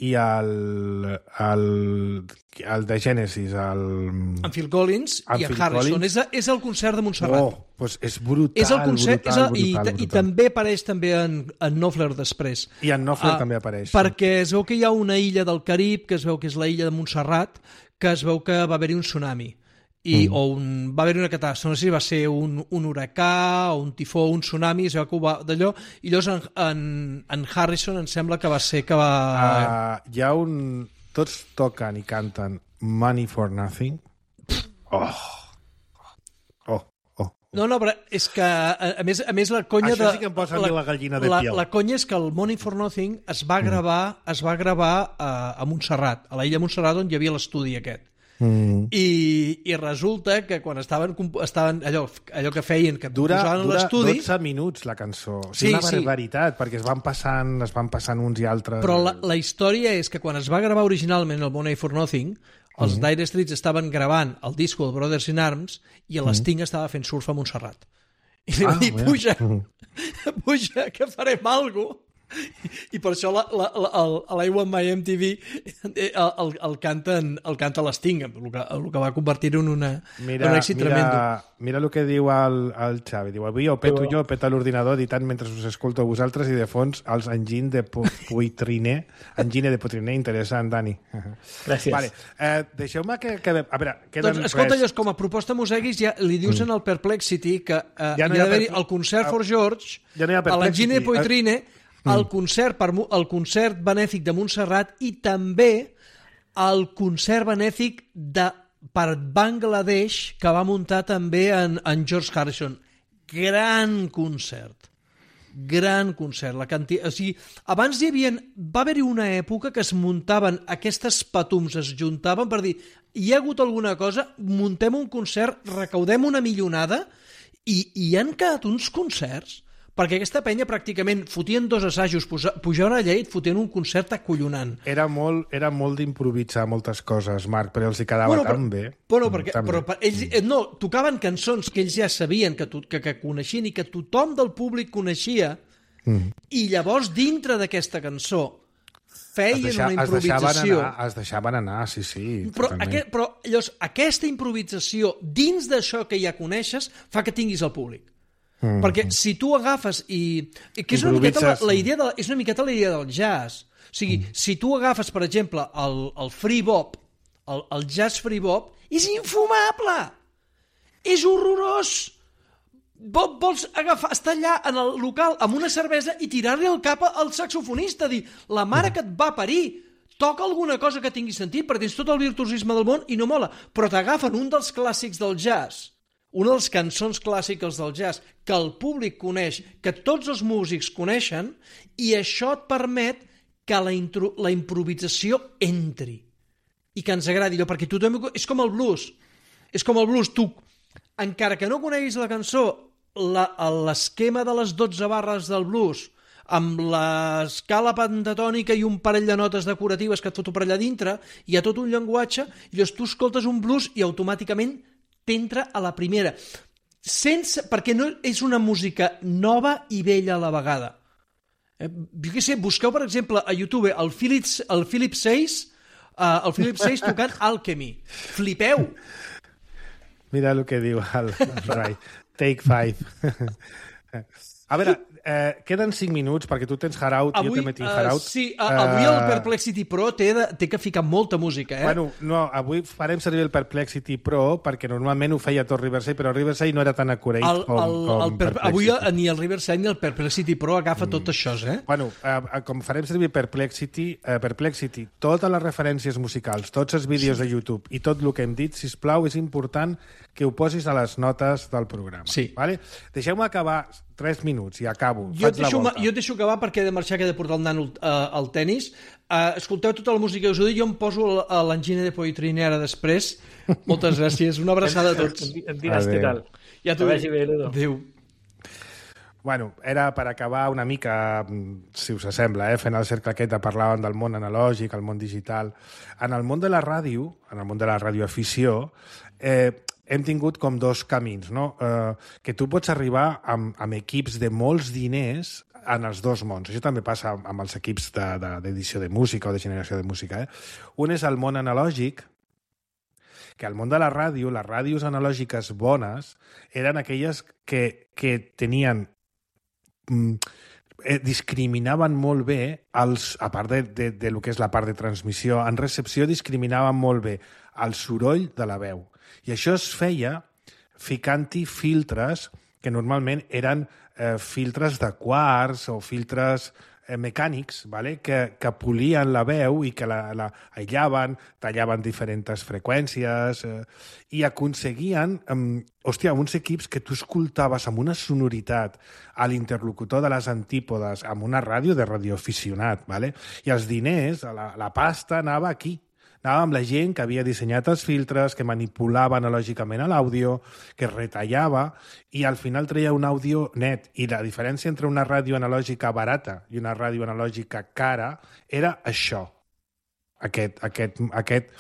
i el, el, el de Genesis, el... En Phil Collins en i en Phil Harrison. Collins. És, és el concert de Montserrat. Oh, doncs és brutal, és el concert, brutal, és el, brutal, i, brutal. I també apareix també en, en Knopfler després. I en Knopfler uh, també apareix. Perquè es veu que hi ha una illa del Carib, que es veu que és la illa de Montserrat, que es veu que va haver-hi un tsunami. I, mm. o un, va haver-hi una catàstrofe, no sé si va ser un, un huracà o un tifó, un tsunami, es veu que ho va d'allò, i llavors en, en, en Harrison em sembla que va ser que va... Uh, hi ha un... Tots toquen i canten Money for Nothing. Oh! Oh! Oh! No, no, però és que, a, a, més, a més, la conya Això de... sí que em posa la, la gallina de la, piel. La conya és que el Money for Nothing es va gravar, mm. es va gravar a, a Montserrat, a l'illa de Montserrat, on hi havia l'estudi aquest. Mm. I, i resulta que quan estaven, estaven allò, allò que feien, que dura, posaven dura l'estudi... dotze minuts la cançó, o sí, sigui, una sí. barbaritat, perquè es van passant es van passant uns i altres. Però la, la història és que quan es va gravar originalment el Money for Nothing, els mm. Dire Straits estaven gravant el disco de Brothers in Arms i l'Sting mm. estava fent surf a Montserrat. I li va ah, dir, puja, mm. puja, que farem alguna cosa. I per això la, la, la, el, l'I Want My M T V el, el, el canten el canta l'Sting, el que, el que va convertir-ho en una, mira, un èxit mira, tremendo. Mira el que diu el, el Xavi, diu, avui ho peto jo, peta l'ordinador editant mentre us escolto a vosaltres i de fons els enginy de Poitriner enginy de Poitriner, interessant, Dani. Gràcies. Vale. Eh, deixeu-me que, que... A veure, queden doncs, escolta, res. llavors, com a proposta Museguis, ja li dius mm. en el Perplexity que eh, ja no hi ha d'haver per... el concert for George, ja no a l'enginy de Poitriner, el concert, per, el concert benèfic de Montserrat i també el concert benèfic de, per Bangladesh que va muntar també en, en George Harrison. Gran concert. Gran concert. La canti... o sigui, abans hi havia... va haver-hi una època que es muntaven aquestes patums, es juntaven per dir hi ha hagut alguna cosa, muntem un concert, recaudem una millonada i, i han quedat uns concerts perquè aquesta penya pràcticament fotien dos assajos, pujaven allà i et fotien un concert acollonant. Era molt, era molt d'improvisar moltes coses, Marc, però els hi quedava bueno, tan però, bé. Bueno, perquè, però per, ells no, tocaven cançons que ells ja sabien, que, to, que, que coneixien i que tothom del públic coneixia, mm. i llavors dintre d'aquesta cançó feien deixa, una improvisació. Es deixaven, anar, es deixaven anar, sí, sí. Però, aquest, però llavors, aquesta improvisació dins d'això que ja coneixes fa que tinguis el públic. Mm. Perquè si tu agafes i... que és una miqueta la, la idea de, és una miqueta la idea del jazz. O sigui, mm. si tu agafes, per exemple, el, el free bop, el, el jazz free bop, és infumable! És horrorós! Vols agafar, estar allà en el local amb una cervesa i tirar-li el cap al saxofonista, dir, la mare que et va parir, toca alguna cosa que tingui sentit, perquè tens tot el virtuosisme del món i no mola, però t'agafen un dels clàssics del jazz, una de les cançons clàssiques del jazz que el públic coneix, que tots els músics coneixen, i això et permet que la, intro, la improvisació entri i que ens agradi allò, perquè tothom... És com el blues. És com el blues. Tu, encara que no coneguis la cançó, l'esquema de les dotze barres del blues, amb l'escala pentatònica i un parell de notes decoratives que et foto per allà dintre, hi ha tot un llenguatge, i llavors tu escoltes un blues i automàticament t'entra a la primera. Sense, perquè no és una música nova i vella a la vegada. Eh, jo què sé, busqueu, per exemple, a YouTube el Philip, el Philip Seyss, uh, el Philip Seyss tocant Alchemy. Flipeu! Mira el que diu el, el Rai. Take five. A veure, eh, queden cinc minuts perquè tu tens Harout i jo també tinc Harout. Uh, sí, uh, avui el Perplexity Pro té, de, té que ficar molta música, eh? Bueno, no, avui farem servir el Perplexity Pro perquè normalment ho feia tot Riverside, però Riverside no era tan accurate el, com, el, com el per, Avui ni el Riverside ni el Perplexity Pro agafa mm. tot això, eh? Bueno, eh, com farem servir Perplexity, eh, Perplexity, totes les referències musicals, tots els vídeos sí. de YouTube i tot el que hem dit, sisplau, és important que ho posis a les notes del programa. Sí. Vale? Deixeu-me acabar tres minuts i acabo. Jo et, deixo, jo et deixo acabar perquè he de marxar, que he de portar el nano uh, al tennis. Uh, escolteu tota la música que us ho dic, jo em poso a l'engine de Poitrini ara després. Moltes gràcies, una abraçada a tots. Em diràs què tal. Ja t'ho vagi bé, Ludo. Adéu. Bueno, era per acabar una mica, si us sembla, eh, fent el cercle aquest de parlar del món analògic, el món digital. En el món de la ràdio, en el món de la radioafició, eh, hem tingut com dos camins, no? Eh, que tu pots arribar amb, amb equips de molts diners en els dos mons. Això també passa amb els equips d'edició de, de, de música o de generació de música. Eh? Un és el món analògic, que al món de la ràdio, les ràdios analògiques bones eren aquelles que, que tenien... Mm, eh, discriminaven molt bé, els, a part de, de, de lo que és la part de transmissió, en recepció discriminaven molt bé el soroll de la veu. I això es feia ficant-hi filtres que normalment eren eh, filtres de quarts o filtres eh, mecànics, vale? que, que polien la veu i que la, la aïllaven, tallaven diferents freqüències eh, i aconseguien, eh, hòstia, uns equips que tu escoltaves amb una sonoritat a l'interlocutor de les antípodes, amb una ràdio de radioaficionat, vale? I els diners, la, la pasta anava aquí. Anava amb la gent que havia dissenyat els filtres, que manipulava analògicament l'àudio, que retallava, i al final treia un àudio net. I la diferència entre una ràdio analògica barata i una ràdio analògica cara era això. Aquest, aquest, aquest,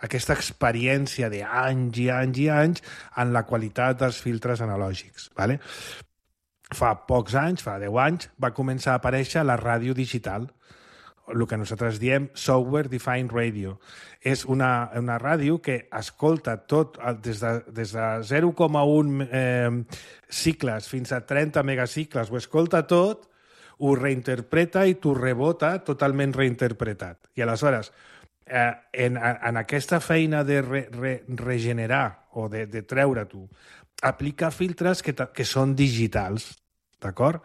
aquesta experiència d'anys i anys i anys en la qualitat dels filtres analògics. Vale? Fa pocs anys, fa deu anys, va començar a aparèixer la ràdio digital, el que nosaltres diem Software Defined Radio. És una, una ràdio que escolta tot des de, des de zero coma un eh, cicles fins a trenta megacicles, ho escolta tot, ho reinterpreta i t'ho rebota totalment reinterpretat. I aleshores, eh, en, en aquesta feina de re, re, regenerar o de, de treure-t'ho, aplica filtres que, que són digitals, d'acord?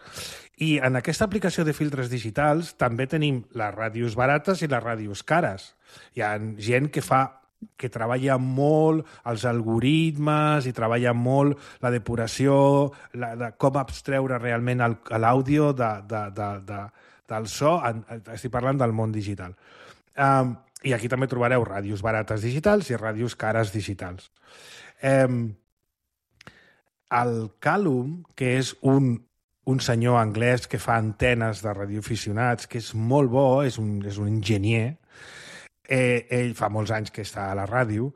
I en aquesta aplicació de filtres digitals també tenim les ràdios barates i les ràdios cares. Hi ha gent que fa que treballa molt els algoritmes i treballa molt la depuració, la, de com abstreure realment l'àudio de, de, de, de, del so. Estic parlant del món digital. Um, I aquí també trobareu ràdios barates digitals i ràdios cares digitals. Um, el Calum, que és un un senyor anglès que fa antenes de radioaficionats, que és molt bo, és un, és un enginyer, eh, ell fa molts anys que està a la ràdio,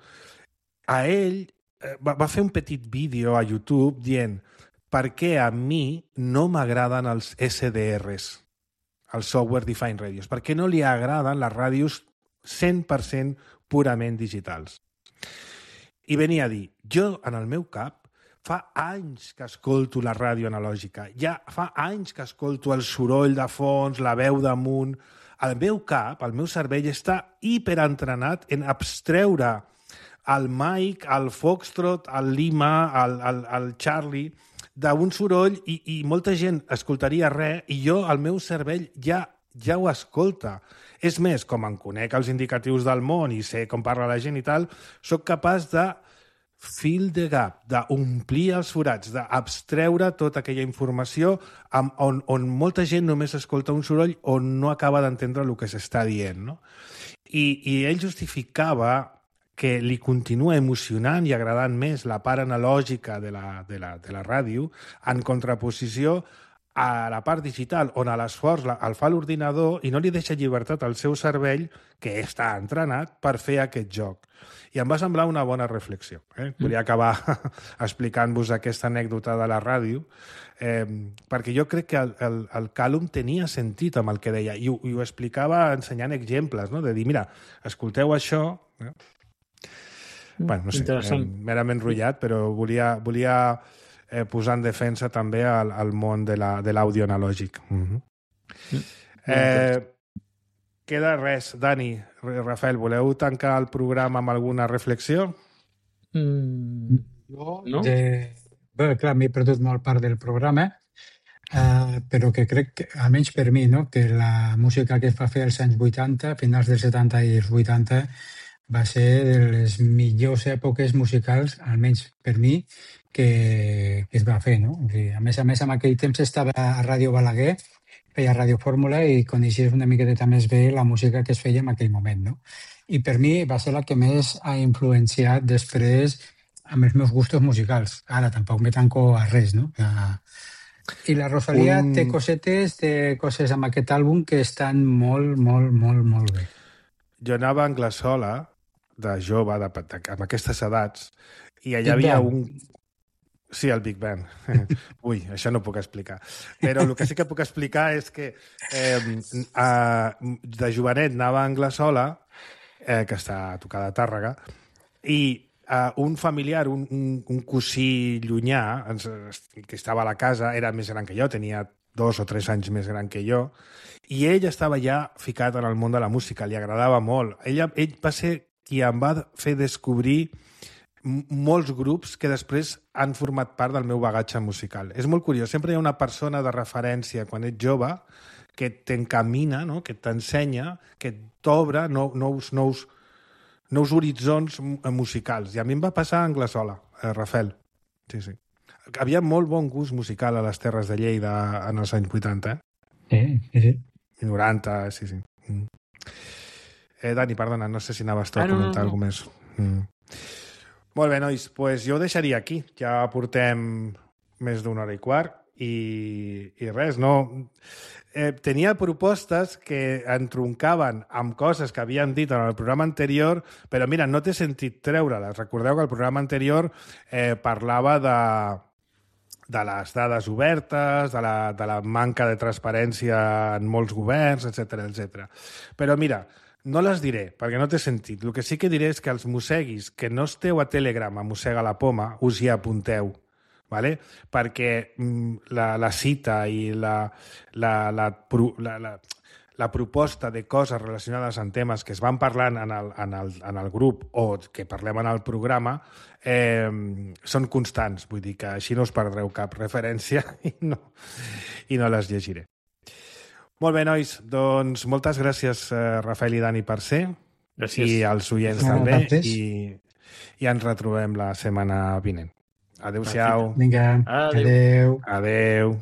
a ell eh, va, va fer un petit vídeo a YouTube dient per què a mi no m'agraden els S D Rs, els Software Defined Radios, per què no li agraden les ràdios cent per cent purament digitals. I venia a dir, jo en el meu cap fa anys que escolto la ràdio analògica, ja fa anys que escolto el soroll de fons, la veu damunt. El meu cap, el meu cervell, està hiperentrenat en abstreure el Mike, el Foxtrot, el Lima, el, el, el Charlie, d'un soroll i, i molta gent escoltaria res i jo, el meu cervell, ja, ja ho escolta. És més, com em conec els indicatius del món i sé com parla la gent i tal, sóc capaç de fill de gap, d'omplir els forats, d'abstreure tota aquella informació on, on molta gent només escolta un soroll on no acaba d'entendre el que s'està dient. No? I, I ell justificava que li continua emocionant i agradant més la part analògica de la, de la, de la ràdio en contraposició a la part digital, on a l'esforç el fa l'ordinador i no li deixa llibertat al seu cervell, que està entrenat, per fer aquest joc. I em va semblar una bona reflexió. Eh? Volia acabar explicant-vos aquesta anècdota de la ràdio, eh, perquè jo crec que el, el, el Callum tenia sentit amb el que deia, i ho, i ho explicava ensenyant exemples, no? De dir, mira, escolteu això... Eh? Bueno, no sé, eh, merament rotllat, però volia... volia Eh, posar en defensa també al, al món de l'àudio la, analògic. Uh-huh. Mm. Eh, queda res. Dani, Rafael, voleu tancar el programa amb alguna reflexió? Mm. Jo, No? de... Bé, clar, m'he perdut molt part del programa, eh, però que crec, que, almenys per mi, no? Que la música que es va fer als anys vuitanta, finals dels setanta i els vuitanta, va ser de les millors èpoques musicals, almenys per mi, que, que es va fer, no? O sigui, a més a més, en aquell temps estava a Ràdio Balaguer, feia Ràdio Fórmula i coneixies una miqueta més bé la música que es feia en aquell moment, no? I per mi va ser la que més ha influenciat després amb els meus gustos musicals. Ara tampoc me tanco a res, no? I la Rosalía Un... té cosetes, té coses amb aquest àlbum que estan molt, molt, molt, molt bé. Jo anava a Anglesola, de jove, de, de, amb aquestes edats, i allà hi havia un... Sí, el Big Bang. Ui, això no ho puc explicar. Però el que sí que puc explicar és que eh, a, de jovenet anava a Anglesola, eh, que està a tocar de Tàrrega, i eh, un familiar, un, un, un cosí llunyà, ens, que estava a la casa, era més gran que jo, tenia dos o tres anys més gran que jo, i ell estava ja ficat en el món de la música, li agradava molt. Ell, ell va ser qui em va fer descobrir molts grups que després han format part del meu bagatge musical. És molt curiós, sempre hi ha una persona de referència quan ets jove que t'encamina, no? Que t'ensenya, que t'obre nous, nous, nous, nous horitzons musicals. I a mi em va passar a Anglesola, a Rafael. Sí, sí. Havia molt bon gust musical a les terres de Lleida en els anys vuitanta, eh? Sí, sí, sí. I noranta, sí, sí. Mm. Eh, Dani, perdona, no sé si anaves tu a Ah, no, comentar no, no. alguna més. Mm. Molt bé, nois, pues jo ho deixaria aquí. Ja portem més d'una hora i quart i, i res, no... Eh, tenia propostes que entroncaven amb coses que havíem dit en el programa anterior, però mira, no t'he sentit treure-les. Recordeu que el programa anterior eh, parlava de, de les dades obertes, de la, de la manca de transparència en molts governs, etcètera, etcètera. Però mira, no les diré, perquè no té sentit. El que sí que diré és que els mosseguis que no esteu a Telegram a Mossega la Poma, us hi apunteu, ¿vale? Perquè mm, la, la cita i la, la, la, la, la, la proposta de coses relacionades amb temes que es van parlant en el, en el, en el grup o que parlem en el programa eh, són constants. Vull dir que així no us perdreu cap referència i no, i no les llegiré. Molt bé, nois, doncs moltes gràcies, eh, Rafael i Dani, per ser. Gràcies. I als oients No, també. gràcies. I, I ens retrobem la setmana vinent. Adéu-siau. Vinga, Adéu. adéu. Adéu.